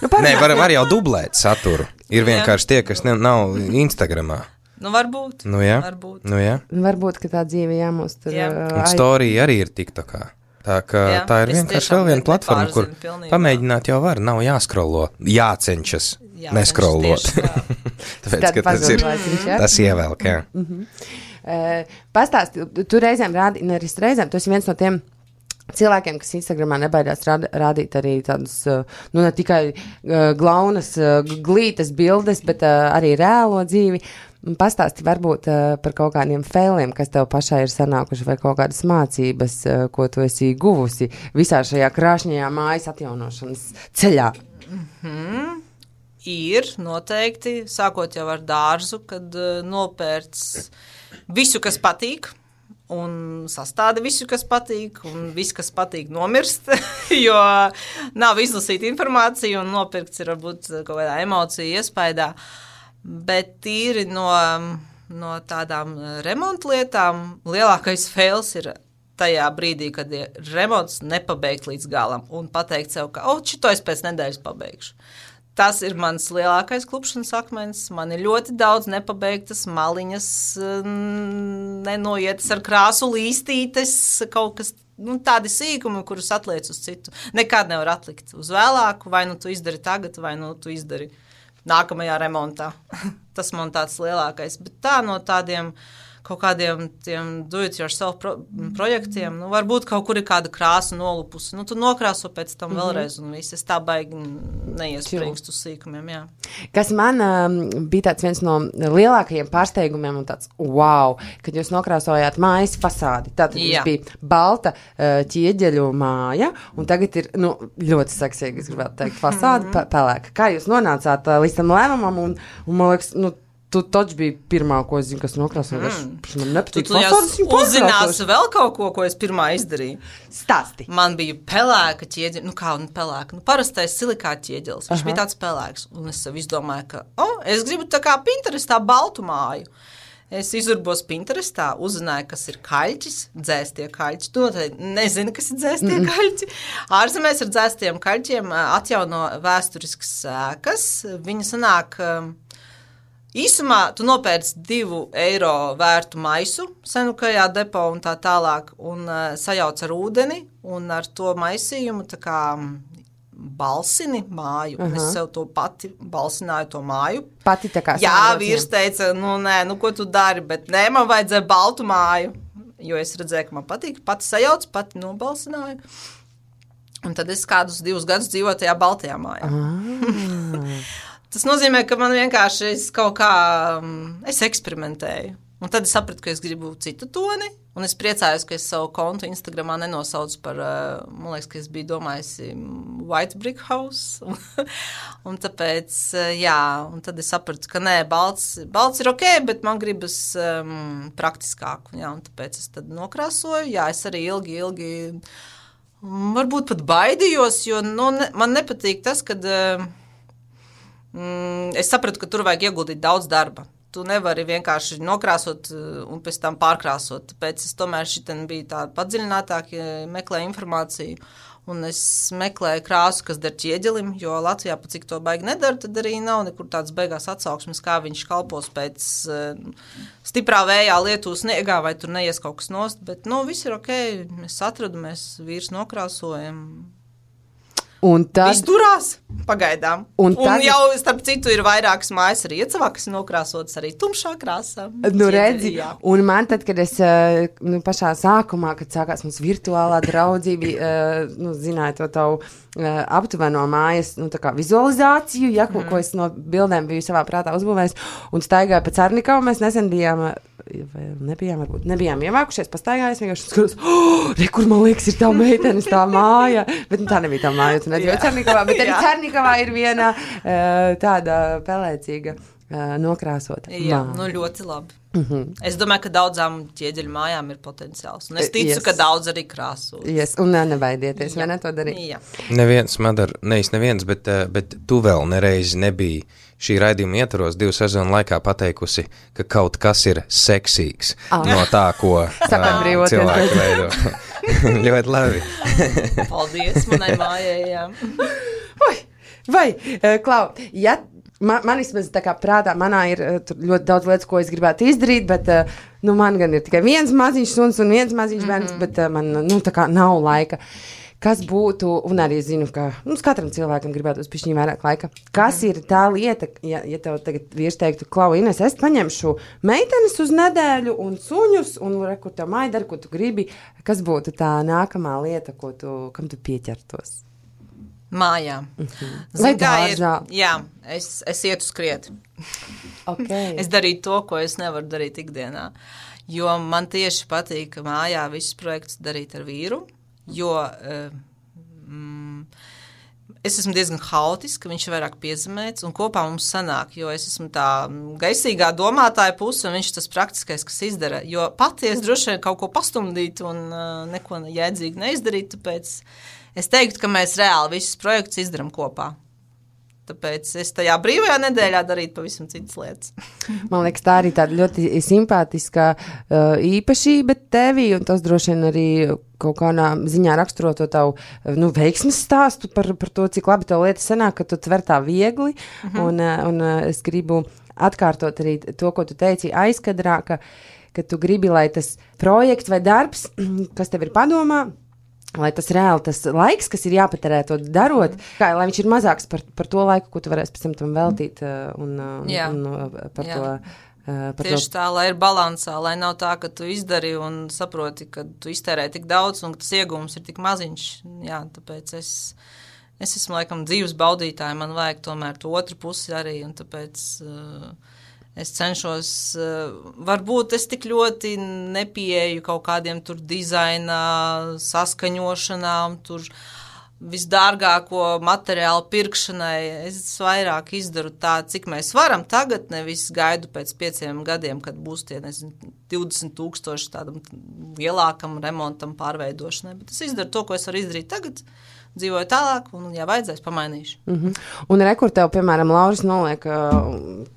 Nu, Nē, var, var jau dublēt saturu. Ir vienkārši tie, kas ne, nav Instagramā. Nu, varbūt. Nu, jā. Varbūt. Nu, jā. Varbūt, ka tā dzīve jāmūs tur. Jā. Un storija arī ir TikTokā. Tā, ka, jā, tā ir vienkārši vēl viena platforma, kur pilnībā. Pamēģināt jau var, nav jāskrolo, jācenšas, jācenšas neskrolot. Tāpēc, ka tas ir, tas ievelk, jā. Mm-hmm. Uh, pastāsti, tu reizēm rādi, nevis reizēm, tu esi viens no tiem cilvēkiem, kas Instagramā nebaidās rād, rādīt arī tādas, uh, nu, ne tikai uh, glaunas, uh, glītas bildes, bet uh, arī reālo dzīvi. Pastāsti varbūt uh, par kaut kādiem failiem, kas tev pašai ir sanākuši, vai kaut kādas mācības, uh, ko tu esi guvusi visā šajā krāšņajā mājas atjaunošanas ceļā. Mm-hmm. Ir noteikti, sākot jau ar dārzu, kad uh, nopērts visu, kas patīk, un sastāda visu, kas patīk, un viss, kas patīk, nomirst, jo nav izlasīta informācija, un nopirkts ir varbūt kaut kādā emocija iespaidā. Bet tīri no, no tādām remontlietām lielākais fails ir tajā brīdī, kad ir remonts nepabeigt līdz galam un pateikt sev, ka, o, šito es pēc nedēļas pabeigšu. Tas ir mans lielākais klupšanas akmens. Man ir ļoti daudz nepabeigtas maliņas, nenoietas ar krāsu līstītes, kaut kas, nu, tādi sīkumi, kurus atliec uz citu. Nekad nevar atlikt uz vēlāku, vai nu tu izdari tagad, vai nu tu izdari nākamajā remontā. Tas man tāds lielākais, bet tā no tādiem kaut kādiem tiem do-it-yourself pro- projektiem, nu, varbūt kaut kur ir kāda krāsa nolupusi, nu, tu nokrāso pēc tam mm-hmm. vēlreiz, un viss, es tā baigi neiespringstu uz sīkumiem, jā. Kas man um, bija tāds viens no lielākajiem pārsteigumiem un tāds, wow, kad jūs nokrāsojāt mājas fasādi, tātad jā. Jums bija balta uh, ķieģeļu māja, un tagad ir, nu, ļoti seksīgi, es gribētu teikt, fasādi mm-hmm. pelēka. Kā jūs nonācāt uh, līdz tam lēmumam, un, un man liekas, nu, tu taču bija pirmā, ko es zinu, kas nokrāsoja. Mm. Man nepatīk fasādes, tu uzzināsi vēl kaut ko, ko es pirmā izdarīju. Stāsti. Man bija pelēka ķieģeļa, nu kā, nu pelēka, nu parastais silikāta ķieģelis, viņš Aha. bija tāds pelēks, un es sev izdomāju, ka, o, oh, es gribu tā kā Pinterestā baltu māju. Es izurbos Pinterestā, uzzināju, kas ir kaļķis, dzēstie kaļķi. Tu noteikti nezini, kas ir dzēstie mm. kaļķi. Ārzemēs ar dzēstiem kaļķiem atjauno vēsturiskas sēkas. Viņa sanāk... Īsumā tu nopērci divu eiro vērtu maisu senukajā depo un tā tālāk un uh, sajauc ar ūdeni un ar to maisījumu tā kā balsini māju. Uh-huh. Es sev to pati balsināju to māju. Pati tā kā Jā, vīrs teica, nu nē, nu ko tu dari, bet nē, man vajadzēja baltu māju. jo es redzēju, ka man patīk, pati sajauc, pati nobalsināju. Un tad es kādus divus gadus dzīvoju tajā baltajā mājā. Ah. Tas nozīmē, ka man vienkārši es kaut kā, es eksperimentēju. Un tad es sapratu, ka es gribu citu toni, un es priecājos, ka es savu kontu Instagramā nenosaucu par, man liekas, ka es biju domājusi White Brick House. Un tāpēc, jā, un tad es sapratu, ka nē, balts, balts ir ok, bet man gribas um, praktiskāk. Jā, un tāpēc es tad nokrāsoju. Jā, es arī ilgi, ilgi, varbūt pat baidījos, jo nu, ne, man nepatīk tas, kad um, es sapratu, ka tur vajag ieguldīt daudz darba. Tu nevari vienkārši nokrāsot un pēc tam pārkrāsot. Tāpēc es tomēr šitien biju tā padziļinātāk, meklēju informāciju. Un es meklēju krāsu, kas der ķieģelim, jo Latvijā, pa cik to baigi nedara, tad arī nav nekur tāds beigās atsauksmes, kā viņš kalpos pēc uh, stiprā vējā, lietu sniegā, vai tur neies kaut kas nost. Bet, nu, viss ir ok, mēs atradu, mēs vīrs nokrāsojam. Un tad... Viss durās, pagaidām. Un, un tad... jau, starp citu, ir vairākas mājas arī iecavā, kas nokrāsotas arī tumšā krāsā. Nu, redzi, un man tad, kad es nu, pašā sākumā, kad sākās mums virtuālā draudzība, nu, zināju to tavu aptuveno mājas, nu, tā kā vizualizāciju, ja, ko, mm. ko es no bildēm biju savā prātā uzbūvējis, un staigāju pa Carnikavu, mēs nesen bijām, vai nebijām, varbūt, nebijām ievākušies, pastaigājies, vienkārši skatos, oh, re, kur man liekas, ir tā meitenes, tā māja, bet nu, tā nebija tā māja, tu nedzīvo Carnikavā, bet arī Carnikavā ir viena tāda pelēcīga nokrāsota. Jā, māja. Nu ļoti labi. Mm-hmm. Es domāju, ka daudzām ķieģeļu mājām ir potenciāls, un es ticu, yes. ka daudz arī krāso. Yes. Un nebaidieties, vai ne to darīt? Jā. Neviens, Madar, nevis neviens, bet, bet tu vēl nereizi nebija šī raidījuma ietvaros divu sezonu laikā pateikusi, ka kaut kas ir seksīgs ah. no tā, ko uh, cilvēki veido. Ļoti labi. Paldies manai mājai, jā. Oi, vai, uh, Klau, ja man, man vismaz tā kā prātā, manā ir uh, ļoti daudz lietas, ko es gribētu izdarīt, bet uh, nu, man gan ir tikai viens maziņš suns un viens maziņš mm-hmm. bērns, bet uh, man nu, tā kā nav laika. Kas būtu, un arī zinu, ka nu, katram cilvēkam gribētu uz pišķiņu vairāk laika, kas mm. ir tā lieta, ja, ja tev tagad vīrs teiktu, Klau, Ines, es paņemšu meitenes uz nedēļu un suņus, un rekur tev māja dara, ko tu gribi, kas būtu tā nākamā lieta, ko tu, kam tu pieķertos? Mājā. Mm-hmm. Vai dārzā? Jā, es, es ietu skriet. Okay. Es darītu to, ko es nevaru darīt ikdienā, jo man tieši patīk mājā visus projektus darīt ar vīru. Jo mm, es esmu diezgan haotiska, viņš ir vairāk piezemēts, un kopā mums sanāk, jo es esmu tā gaisīgā domātāja puse, un viņš tas praktiskais, kas izdara. Jo pati es droši vien kaut ko pastumdītu un uh, neko jēdzīgi neizdarītu, tāpēc es teiktu, ka mēs reāli visus projektus izdaram kopā. Tāpēc es tajā brīvajā nedēļā darītu pavisam citas lietas. Man liekas, tā arī tāda ļoti simpātiska uh, īpašība tevī, un tas droši vien arī kaut kādā ziņā raksturo to tavu nu, veiksmes stāstu par, par to, cik labi tev lietas sanāk, ka tu tver tā viegli, uh-huh. un, un es gribu atkārtot arī to, ko tu teici aizkadrā, ka, ka tu gribi, lai tas projekts vai darbs, kas tev ir padomā, lai tas reāli, tas laiks, kas ir jāpaterē to darot, kā, lai viņš ir mazāks par, par to laiku, ko tu varēsi pēc tam tam veltīt un, un, un par Jā. to. Par Tieši to. tā, lai ir balansā, lai nav tā, ka tu izdari un saproti, ka tu iztērē tik daudz un ka tas iegūms ir tik maziņš. Jā, tāpēc es, es esmu laikam dzīves baudītāja, man vajag tomēr to otru pusi arī, un tāpēc uh, es cenšos, uh, varbūt es tik ļoti nepieeju kaut kādiem tur dizainā, saskaņošanām, tur visdārgāko materiālu pirkšanai. Es vairāk izdaru tā, cik mēs varam tagad, nevis gaidu pēc pieciem gadiem, kad būs tie, nezinu, divdesmit tūkstoši tādam lielākam remontam, pārveidošanai. Bet es izdaru to, ko es varu izdarīt tagad, dzīvoju tālāk, un, ja vajadzēs, pamainīšu. Mm-hmm. Un rekur tev, piemēram, Lauris noliek uh,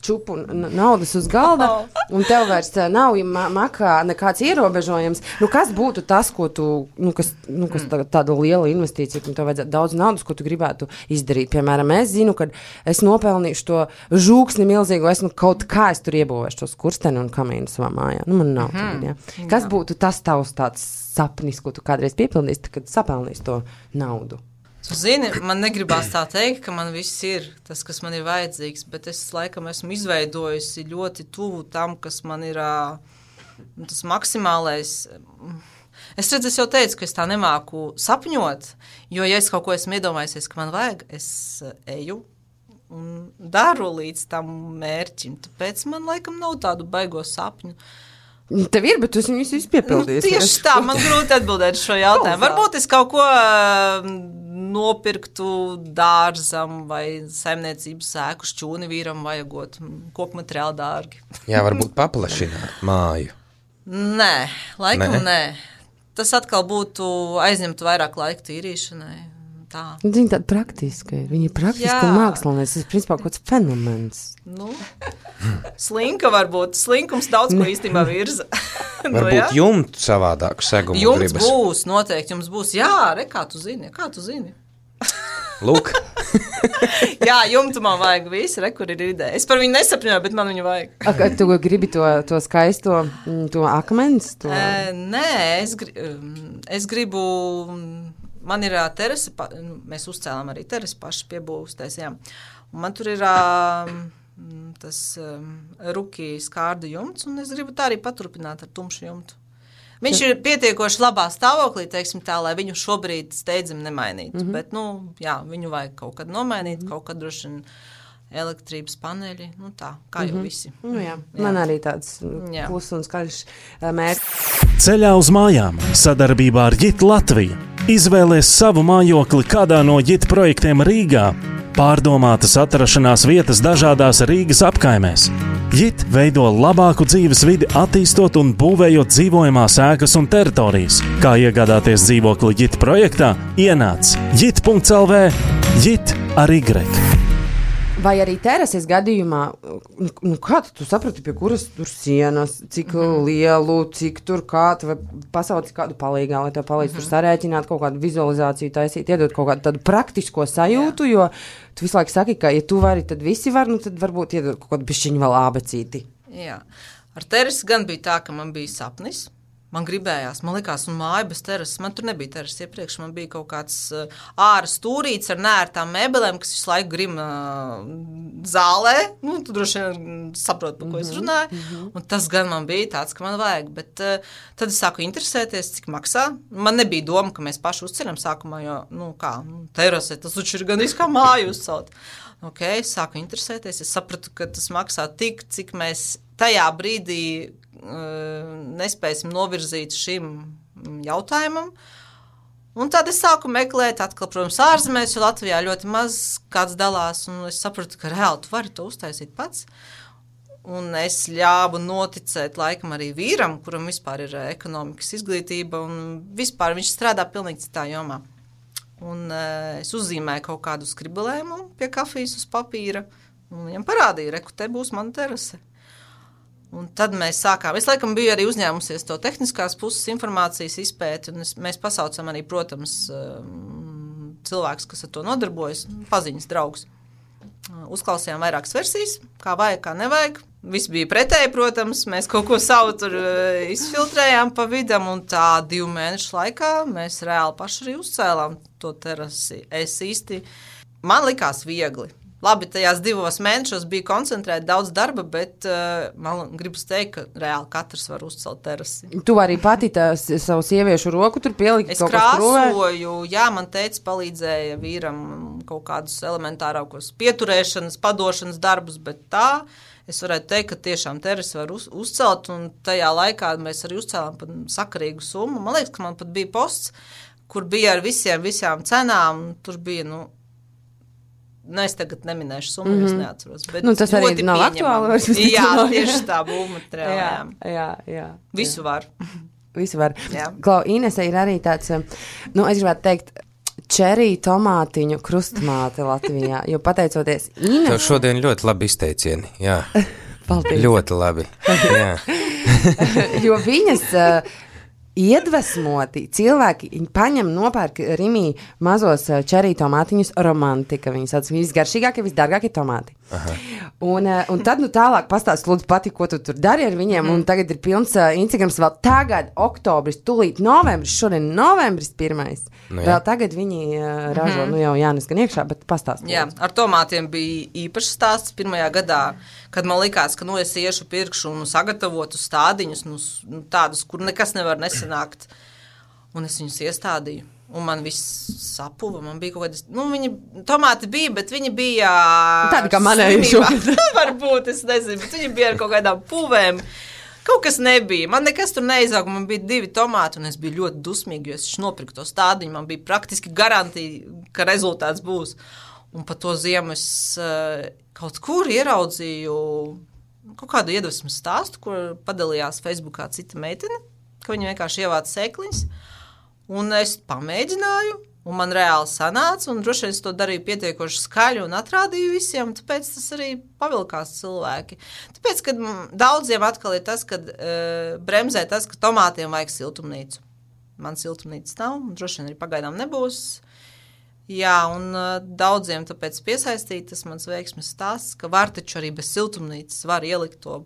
čupu naudas uz galda, un tev vairs uh, nav ma- makā nekāds ierobežojums. Nu, kas būtu tas, ko tu, nu, kas, nu, kas tā, tāda liela investīcija, ka tev vajadzētu daudz naudas, ko tu gribētu izdarīt? Piemēram, es zinu, kad es nopelnīšu to žūksni milzīgu, es nu kaut kā es tur iebūvēšu tos kursteni un kamīnu savā mājā. Nu, man nav mm-hmm. tagad, ja. Kas Jā. būtu tas tavs tāds sapnis, ko tu kādreiz piepildīsi, kad sapelnīsi to naudu? Tu zini, man negribās tā teikt, ka man viss ir tas, kas man ir vajadzīgs, bet es laikam esmu izveidojusi ļoti tuvu tam, kas man ir uh, Un tas maksimālais, es redzu, es jau teicu, ka es tā nemāku sapņot, jo, ja es kaut ko esmu iedomājusies, ka man vajag, es eju un daru līdz tam mērķim, tāpēc man laikam nav tādu baigo sapņu. Tev ir, bet tu viņus visu piepildīsi. Nu, tieši tā, man grūti atbildēt šo jautājumu. Varbūt es kaut ko uh, nopirktu dārzam vai saimniecības sēku šķūni vīram vajagot, koku materiāli dārgi. Jā, varbūt paplašināt māju. Nē, laikam nē. Nē? Tas atkal būtu aizņemt vairāk laika tīrīšanai. Tā. Viņa tāda praktiska ir. Viņa ir praktiska un mākslinieks. Tas ir principā kaut kāds fenomens. Nu, slinka varbūt. Slinkums daudz ko īstenībā virza. Varbūt nu, ja? Jumtu savādāku segumu jumts gribas. Jumts būs, noteikti jums būs. Jā, re, kā tu zini, kā tu zini. Lūk. Jā, jumtu man vajag visi, re, kur ir ideja. Es par viņu nesapņoju, bet man viņu vajag. A, tu gribi to, to skaisto, to akmens? To... E, nē, es, gri, es gribu... Man ir terase, mēs uzcēlām arī terasi paši piebūvstaisījām. Un man tur ir tas ruki skārdu jumts, un es gribu tā arī paturpināt ar tumšu jumtu. Viņš ir pietiekoši labā stāvoklī, teiksim tā, lai viņu šobrīd steidzam nemainītu. Mm-hmm. Bet, nu, jā, viņu vajag kaut kad nomainīt, mm-hmm. kaut kad droši vien elektrības paneļi, nu tā, kā jau mm-hmm. visi. Nu, jā. Jā. Man arī tāds klus un skaļš mērķis. Ceļā uz mājām sadarbībā ar Jit Latviju. Izvēlies savu mājokli kādā no Jit projektiem Rīgā. Pārdomātas atrašanās vietas dažādās Rīgas apkaimēs. Jit veido labāku dzīves vidi, attīstot un būvējot dzīvojamās ēkas un teritorijas. Kā iegādāties dzīvokli Jit projektā? Ienāc jit punkts el vē, Jit ar Y. Vai arī terases gadījumā, nu kā tu saprati, pie kuras tur sienas, cik mm-hmm. lielu, cik tur kā, vai pasauci kādu palīgā, lai tev palīdz mm-hmm. tur sarēķināt, kaut kādu vizualizāciju taisīt, iedot kaut kādu tādu praktisko sajūtu, Jā. Jo tu visu laiku saki, ka ja tu vari, tad visi var, nu tad varbūt iedot kaut kādu bišķiņu vēl ābecīti. Jā, ar terasi gan bija tā, ka man bija sapnis. Man gribējās, man likās, un māja bez terases, man tur nebija terases iepriekš, man bija kaut kāds uh, āra stūrīts ar nērtām mēbelēm, kas visu laiku grima uh, zālē, nu, tu droši vien saproti, par ko mm-hmm, es runāju, mm-hmm. un tas gan man bija tāds, ka man vajag, bet uh, tad es sāku interesēties, cik maksā. Man nebija doma, ka mēs paši uzceļam sākumā, jo, nu, kā, nu, terase, tas taču ir gan kā māju uzcelt. Ok, es sāku interesēties, es sapratu, ka tas maksā tik, cik mēs tajā brīdī nespēsim novirzīt šim jautājumam. Un tad es sāku meklēt atkal, protams, ārzemēs, jo Latvijā ļoti maz kāds dalās, un es sapratu, ka reāli tu vari to uztaisīt pats. Un es ļāvu noticēt laikam arī vīram, kuram vispār ir ekonomikas izglītība, un vispār viņš strādā pilnīgi citā jomā. Un es uzzīmēju kaut kādu skribelējumu pie kafijas uz papīra, un viņam parādīja, reku, te būs mana terase. Un tad mēs sākām, es laikam biju arī uzņēmusies to tehniskās puses informācijas izpēti, un es, mēs pasaucam arī, protams, cilvēks, kas ar to nodarbojas, paziņas draugs. Uzklausījām vairākas versijas, kā vajag, kā nevajag. Viss bija pretēji, protams, mēs kaut ko savu tur izfiltrējām pa vidam, un tā divu mēnešu laikā mēs reāli paši arī uzcēlām to terasi. Es īsti, man likās viegli. Labi, tajās divos mēnešos bija koncentrēta daudz darba, bet uh, man gribas teikt, ka reāli katrs var uzcelt terasi. Tu arī pati tās savu sieviešu roku tur pieliki es kaut kas prūvē? Es krāsoju, jā, man teica palīdzēja vīram kaut kādus elementārākos pieturēšanas, padošanas darbus, bet tā es varētu teikt, ka tiešām terasi var uz, uzcelt, un tajā laikā mēs arī uzcēlām pat sakarīgu summu. Man liekas, ka man pat bija posts, kur bija ar visiem, visām cenām, un tur bija, nu, Nu, es tagad neminēšu summu, mm-hmm. es neatceros. Bet nu, tas arī nav aktuāli. Jā, tieši tā būvmateriāla. jā, jā, jā. Visu var. Visu var. Klau, Inese ir arī tāds, nu, es gribētu teikt, čerī tomātiņu krustmāte Latvijā, jo pateicoties Ines... Tev šodien ļoti labi izteicieni, jā. Paldies. Ļoti labi, jā. Jo viņas... Iedvesmoti cilvēki paņem nopērk Rimī mazos čerī tomātiņus romantika, viņi sauc visgaršīgākie, visdārgākie tomāti. Aha. Un, un tad, nu, tālāk pastāst, lūdzu, pati, ko tu tur dari ar viņiem. Mm. Un tagad ir pilns uh, Instagrams vēl tagad, oktobris, tūlīt novembris, šodien novembris pirmais. Nu, vēl tagad viņi uh, ražo, mm. nu jau Jānis gan iekšā, bet pastāst. Jā, ar tomātiem bija īpašs stāsts pirmajā gadā, kad man likās, ka, nu, es iešu pirkšu un sagatavotu stādiņus, nu, tādus, kur nekas nevar nesanākt. Un es viņus iestādīju. Un man viss sapuva, man bija kaut kādas, nu, viņi, tomāti bija, bet viņi bija... Tādi kā manēji šogad. Varbūt, es nezinu, bet viņi bija ar kaut kādām puvēm. Kaut kas nebija. Man nekas tur neizauga, man bija divi tomāti, un es biju ļoti dusmīgi, jo es nopirku to stādiņu, man bija praktiski garantija, ka rezultāts būs. Un pa to ziemu es uh, kaut kur ieraudzīju kaut kādu iedvesmas stāstu, kur padalījās Facebookā cita meitene, ka viņa vienkārši ievāca sēkliņas. Un es pamēģināju, un man reāli sanāca, un droši vien es to darīju pietiekoši skaļi un atrādīju visiem, un tāpēc tas arī pavilkās cilvēki. Tāpēc, kad daudziem atkal ir tas, kad uh, bremzē tas, ka tomātiem vajag siltumnīcu. Man siltumnīcas nav, un droši vien arī pagaidām nebūs. Jā, un uh, daudziem tāpēc piesaistīt tas mans veiksmes stāsts, ka var taču arī bez siltumnīcas var ielikt to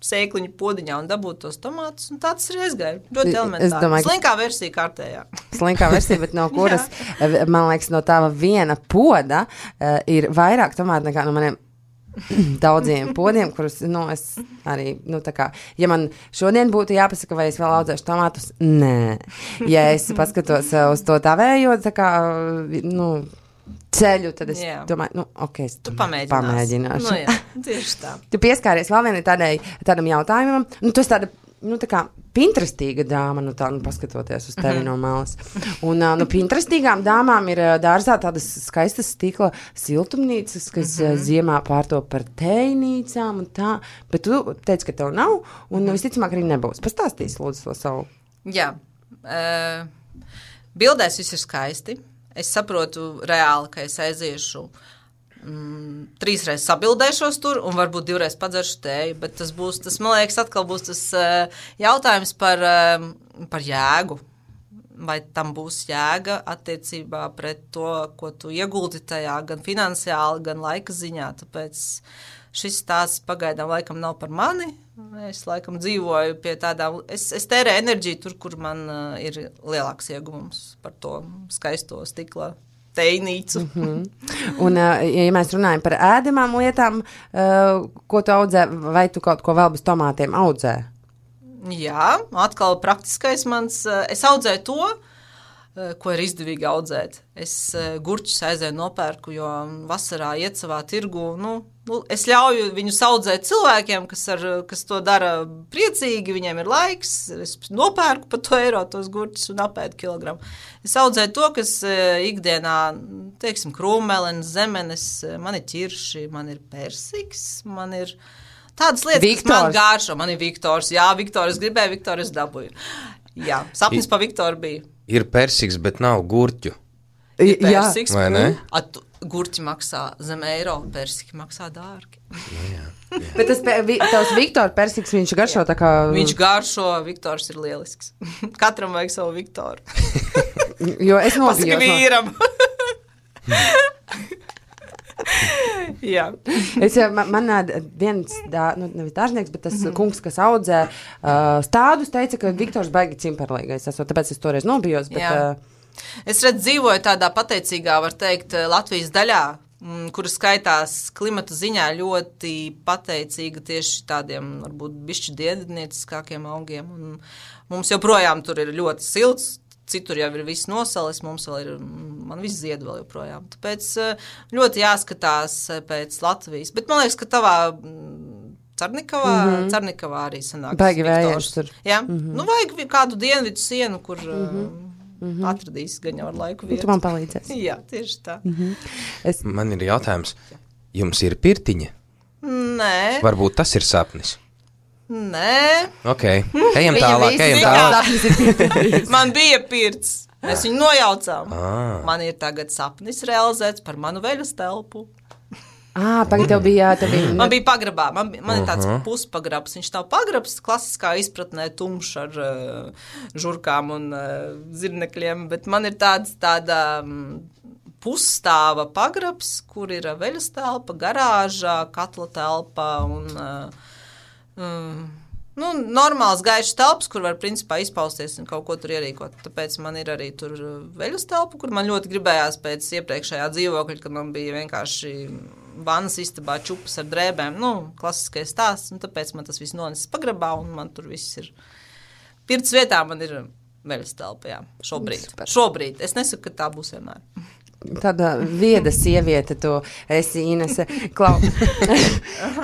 sēkliņu podiņā un dabūt tos tomātus, un tāds arī aizgāja. Ļoti elementāri. Domāju, slinkā versija kārtējā. Slinkā versija, bet no kuras, man liekas, no tava viena poda uh, ir vairāk tomāti nekā no maniem daudziem podiem, kurus, nu, es arī, nu, tā kā, ja man šodien būtu jāpasaka, vai es vēl audzēšu tomātus, nē. Ja es paskatos uz to tavējo, tā kā, nu, ceļu, tad es jā. domāju, nu, ok, es tu pamēģināsi. pamēģināšu. Nu, jā, tieši tā. Tu pieskāries vēl vienai tādai, tādam jautājumam, nu, tu esi tāda, nu, tā kā Pinterestīga dāma, nu, tā, nu, paskatoties uz tevi mm-hmm. no malas. Un, nu, Pinterestīgām dāmām ir dārzā tādas skaistas stikla siltumnīcas, kas mm-hmm. ziemā pārtop par tējnīcām un tā, bet tu teici, ka tev nav, un mm-hmm. visticamāk arī nebūs. Pastāstīs, lūdzu, to savu. Jā. Uh, bildēs viss ir skaisti. Es saprotu reāli, ka es aiziešu mm, trīsreiz sabildēšos tur un varbūt divreiz padzeršu tēju, bet tas būs, tas, man liekas, atkal būs tas uh, jautājums par, uh, par jēgu. Vai tam būs jēga attiecībā pret to, ko tu ieguldi tajā, gan finansiāli, gan laika ziņā, tāpēc šis stāsts pagaidām laikam nav par mani. Es laikam dzīvoju pie tādām, es, es tērēju enerģiju tur, kur man uh, ir lielāks ieguvums par to skaisto stikla tejnīcu. Mm-hmm. Un, uh, ja mēs runājam par ēdamām lietām, uh, ko tu audzē, vai tu kaut ko vēl bez tomātiem audzē? Jā, atkal praktiskais mans, uh, es audzēju to, uh, ko ir izdevīgi audzēt. Es uh, gurķus aizēju nopērku, jo vasarā iet savā tirgu, nu, Nu, es ļauju viņu audzēt cilvēkiem, kas, ar, kas to dara priecīgi, viņiem ir laiks, es nopērku par to eiro tos gurķus un apēdu kilogramu. Es audzēju to, kas ikdienā, teiksim, krūmelenes, zemenes, man ir ķirši, man ir persiks, man ir tādas lietas, Viktors. Kas man gāršo, man ir Viktors, jā, Viktor, es gribēju, Viktor, es dabūju. Jā, sapnis pa Viktoru bija. Ir persiks, bet nav gurķu. Ir persiks, vai ne? At, gurķi maksā zem eiro, persiki maksā dārgi. Jā, jā, jā. Bet tas vi, tavs Viktor persiks, viņš garšo tā kā... Viņš garšo, Viktors ir lielisks. Katram vajag savu Viktoru. Jo es nobijos. Pasaka vīram. Jā. Es, man, man viens, dā, nu, nevis dārznieks, bet tas mm-hmm. kungs, kas audzē uh, stādus, teica, ka Viktors baigi cimperlīgais. Esot, tāpēc es toreiz nobijos, bet... Uh, Es redzu, dzīvoju tādā pateicīgā, var teikt, Latvijas daļā, kura skaitās klimata ziņā ļoti pateicīga tieši tādiem, varbūt, bišķi diednieciskākiem augiem. Un mums joprojām tur ir ļoti silts, citur jau ir viss nosalis, mums vēl ir, man viss zied vēl joprojām. Tāpēc ļoti jāskatās pēc Latvijas. Bet man liekas, ka tavā Carnikavā, mm-hmm. Carnikavā arī sanāks. Baigi vējams tur. Jā, mm-hmm. nu vajag kādu dienvidu sienu, kur... Mm-hmm. Mm-hmm. Atradīs gan jau ar laiku vietu. Tu man palīdzēsi. Jā, tieši tā. Mm-hmm. Es... Man ir jautājums, jums ir pirtiņa? Nē. Varbūt tas ir sapnis? Nē. Ok, ejam tālāk, ejam tālāk. Man bija pirts, mēs viņu nojaucām. Ah. Man ir tagad sapnis realizēts par manu veļas telpu. Ah, tagad tev bija, tev bija... Man bija pagrabā, man, man ir tāds uh-huh. puspagrabs, viņš nav pagrabs, klasiskā izpratnē tumšs ar uh, žurkām un uh, zirnekļiem, bet man ir tāds tāda um, pusstāva pagrabs, kur ir veļas telpa, garāža, katla telpa un um, nu, normāls gaišs telpas, kur var principā izpausties un kaut ko tur ierīkot. Tāpēc man ir arī tur veļas telpa, kur man ļoti gribējās pēc iepriekšējā dzīvokļa, kad man bija vienkārši vannas istabā čupas ar drēbēm, nu, klasiskais stāsts, un tāpēc man tas viss nonesis pagrabā, un man tur viss ir. Pirts vietā man ir veļas telpa, jā, šobrīd. Super. Šobrīd. Es nesaku, ka tā būs vienmēr. Tāda vieda sieviete tu esi, Inese. Klau.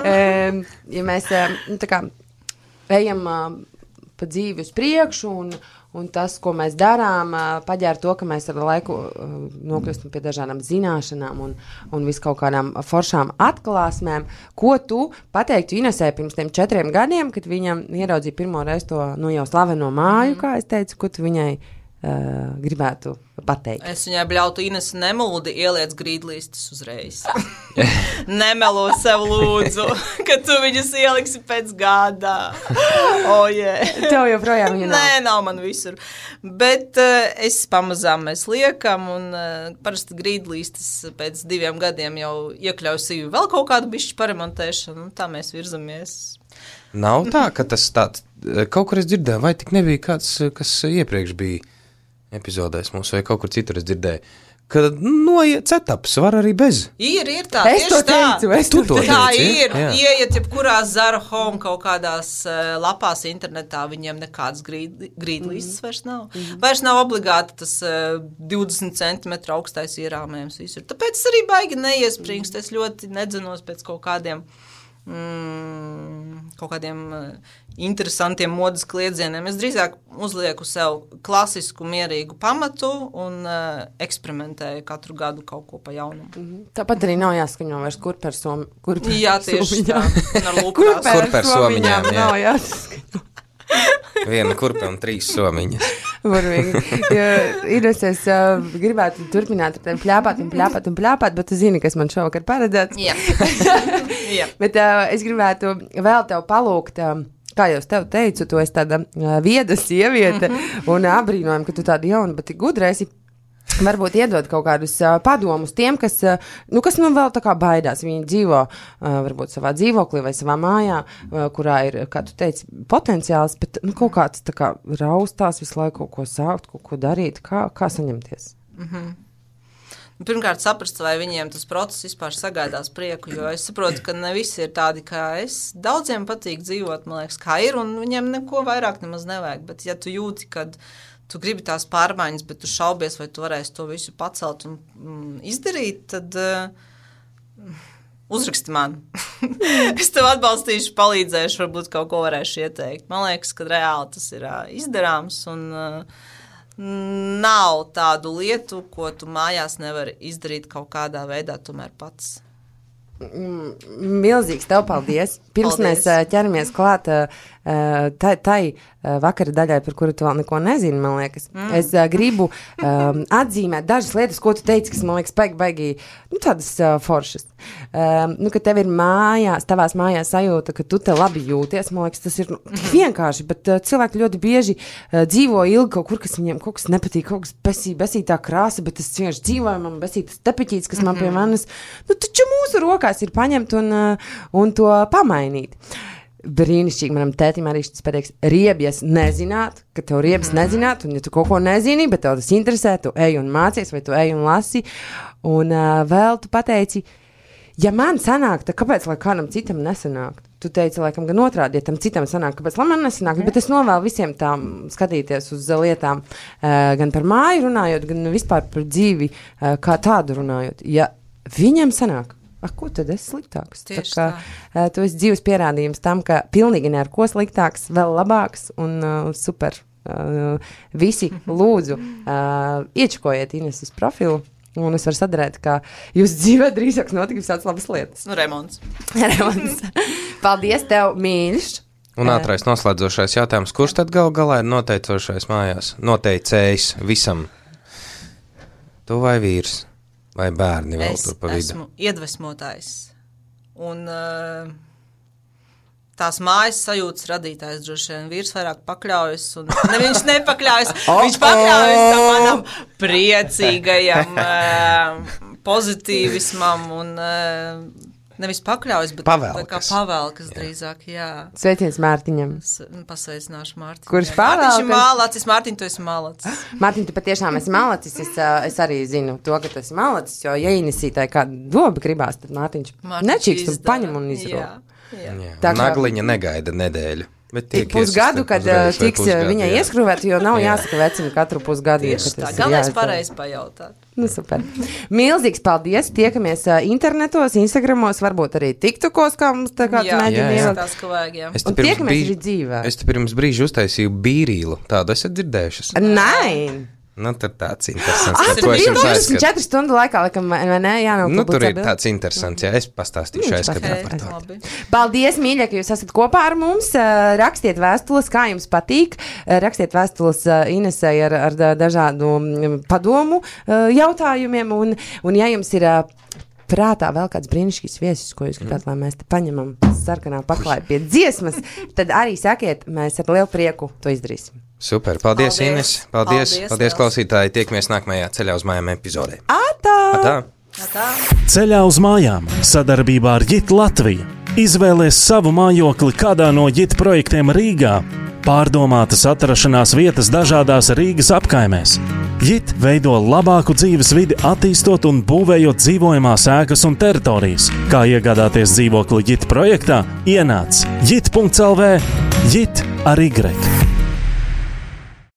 Ja mēs tā kā ejam pa dzīvi uz priekšu un, un tas, ko mēs darām, paģēr to, ka mēs ar laiku nokļūstam pie dažādām zināšanām un, un vis kaut kādām foršām atklāsmēm. Ko tu pateiktu Inesē pirms tiem četriem gadiem, kad viņam ieraudzīja pirmo reizi to, nu, jau slaveno māju, kā es teicu, ko tu viņai uh, gribētu pateikt? Es viņai bļautu, Ines, nemūdi ieliec grīdlīstis uzreiz. Nemelo sev lūdzu, ka tu viņus ieliksi pēc gada. Oh, yeah. Tev joprojām viņa nav? Nē, nav man visur. Bet uh, es pamazām mēs liekam, un uh, parasti grīdlīstis pēc diviem gadiem jau iekļauj sīvi vēl kaut kādu bišķi paremontēšanu, un tā mēs virzamies. Nav tā, ka tas tāds, kaut kur es dzirdēju, vai tik nebija kāds, kas iepriekš bija epizodēs mums, vai kaut kur citur es dzirdēju, ka noiet setups var arī bez. Ir, ir tā, es to tā. teicu, es tu to to Tā teici, ir, jā. ieiet jebkurā Zara Home kaut kādās uh, lapās internetā, viņiem nekāds grīd, grīdlīstis mm. vairs nav. Mm. Vairs nav obligāti tas uh, divdesmit centimetru augstais ierāmējums visur. Tāpēc es arī baigi neiespringst, es ļoti nedzenos pēc kaut kādiem Mm, kaut kādiem uh, interesantiem modas kliedzieniem. Es drīzāk uzlieku sev klasisku, mierīgu pamatu un uh, eksperimentēju katru gadu kaut ko pa jaunumu. Mm-hmm. Tāpat arī nav jāskaņo vairs kurper som, kurper Jā, tieši somiņām. tā. Un ar lūkrās. Kurper somiņām, jā. Nav jāskaņo. Viena kurpe un trīs somiņas. Varīgi. Ja, Ines, es uh, gribētu turpināt ar tevi pļāpāt un pļāpāt un pļāpāt, bet tu zini, kas man šovakar paredzēts. Jā. Jā. Bet uh, es gribētu vēl tev palūgt, uh, kā jau es tev teicu, tu esi tāda uh, vieda sieviete mm-hmm. un abrīnojam, ka tu tāda jauna, bet gudra esi. Varbūt iedod kaut kādus uh, padomus tiem, kas, uh, nu, kas nu vēl tā kā baidās. Viņi dzīvo uh, varbūt savā dzīvoklī vai savā mājā, uh, kurā ir, kā tu teici, potenciāls, bet nu, kaut kāds tā kā raustās visu laiku kaut ko sākt, kaut ko darīt. Kā, kā saņemties? Mm-hmm. Pirmkārt, saprast, vai viņiem tas process vispār sagādās prieku, jo es saprotu, ka ne visi ir tādi kā es. Daudziem patīk dzīvot, man liekas, kā ir, un viņiem neko vairāk nemaz nevajag. Bet ja tu jūti, kad tu gribi tās pārmaiņas, bet tu šaubies, vai tu varēsi to visu pacelt un mm, izdarīt, tad uh, uzraksti man. Es tev atbalstīšu, palīdzēšu, varbūt kaut ko varēšu ieteikt. Man liekas, ka reāli tas ir uh, izdarāms un uh, nav tādu lietu, ko tu mājās nevari izdarīt kaut kādā veidā tomēr pats. Milzīgs tev paldies. Pirms Paldies. mēs ķeramies klāt tai, tai vakara daļai, par kuru tu vēl neko nezini, man liekas. Mm. Es gribu um, atzīmēt dažas lietas, ko tu teici, kas man liekas baigi, baigi, nu, tādas uh, foršas. Um, nu, ka tev ir mājās, tavās mājās sajūta, ka tu te labi jūties, man liekas, tas ir nu, tik vienkārši, bet uh, cilvēki ļoti bieži uh, dzīvo ilgi kaut kur, kas viņiem kaut kas nepatīk, kaut kas besī, besītā krāsa, bet tas vienkārši dzīvoja, man besītas tepiķītes, kas man pie manas, nu, taču mūsu rokās ir paņemt un, uh, un to pamainīt. Brīnišķīgi manam tētim arī šis pateiks, riebies nezināt, ka tev riebas mm. nezināt, un ja tu kaut ko nezini, bet tev tas interesē, tu ej un mācies, vai tu ej un lasi, un uh, vēl tu pateici, ja man sanāk, tad kāpēc, lai kādam citam nesanāk? Tu teici, laikam, gan otrādi, ja tam citam sanāk, kāpēc, lai man nesanāk, mm. bet es novēlu visiem tām skatīties uz lietām, uh, gan par māju runājot, gan vispār par dzīvi, uh, kā tādu runājot. Ja viņam sanāk, a, ko tad es sliktāks? Tieši tā. Kā, tu esi dzīves pierādījums tam, ka pilnīgi ne ar ko sliktāks, vēl labāks un uh, super. Uh, visi lūdzu uh, iečkojiet Ineses profilu, un es varu sadarēt, ka jūs dzīvē drīzāk notiks tāds labas lietas. Nu, remonts. Remonts. Paldies tev, mīļš. Un ātrais noslēdzošais jautājums, kurš tad gal galā ir noteicošais mājās? Noteicējs visam. Tu vai vīrs? Vai bērni vēl es tur pa vidu? Es esmu iedvesmotājs. Un uh, tās mājas sajūtas radītājs droši vien vīrs vairāk pakļaujas, un ne viņš nepakļaujas, oh, viņš pakļaujas tam manam priecīgajam uh, pozitīvismam un uh, nevis pakļaujas, bet pavēlkas. kā pavēlkas drīzāk, jā. Sveiciens Mārtiņam. Es pasveicināšu Mārtiņu. Kurš pavēlkas? Mārtiņš ir mālacis, Mārtiņ, tu esi mālacis. Mārtiņ, tu patiešām esi malacis, es, es arī zinu to, ka tu esi malacis, jo ja Inesītai kāda doba gribās, tad Mārtiņš, Mārtiņš nečīkst un paņem un izro. Jā. Jā. Jā. Tā kā- Nagliņa negaida nedēļu. Ik pusgadu, kad uh, tiks uh, viņai ieskrūvēt, jo nav Jā. jāsaka vecina katru pusgadu. Tieši tā, galvenais pareizi pajautāt. Nu, super. Milzīgs paldies. Tiekamies uh, internetos, Instagramos, varbūt arī TikTokos, kā mums tā kā Jā, mēģina jā, jā. ielikt. tās, ka vajag, jā. Es te Un pirms tiekamies brīža- arī dzīvē. Es te pirms brīža uztaisīju bīrīlu. Tādu esat dzirdējušas? Nē! Nu, tad tāds interesants. Ah, par tur ko es bija jums divdesmit aizskatu. četru stundu laikā, laikam, vai ne? Jā, nav Nu, tur ir publicēta. tāds interesants, jā, es pastāstīšu Viņš aizskatā pastāstīs. par to. Labi. Paldies, mīļie, ka jūs esat kopā ar mums. Uh, Rakstiet vēstules, kā jums patīk. Uh, Rakstiet vēstules uh, Inesei ar, ar da- dažādu mm, padomu uh, jautājumiem. Un, un ja jums ir uh, prātā vēl kāds brīnišķīgs viesis, ko jūs gribētu, lai mēs te paņemam sarkanā paklāja pie dziesmas, tad arī sakiet, mēs ar lielu prieku to izdarīsim. Super, paldies, Paldies. Ines. Paldies, Paldies, paldies liels. klausītāji. Tiekamies nākamajā ceļā uz mājām epizodē. Atā! Tā. Tā. Ceļā uz mājām sadarbībā ar Jit Latviju. Izvēlies savu mājokli kādā no Jit projektiem Rīgā. Pārdomātas atrašanās vietas dažādās Rīgas apkaimēs. Jit veido labāku dzīves vidi, attīstot un būvējot dzīvojamās ēkas un teritorijas. Kā iegādāties dzīvokli Jit projektā? Ienāc jit punkts el vē, Jit ar Y.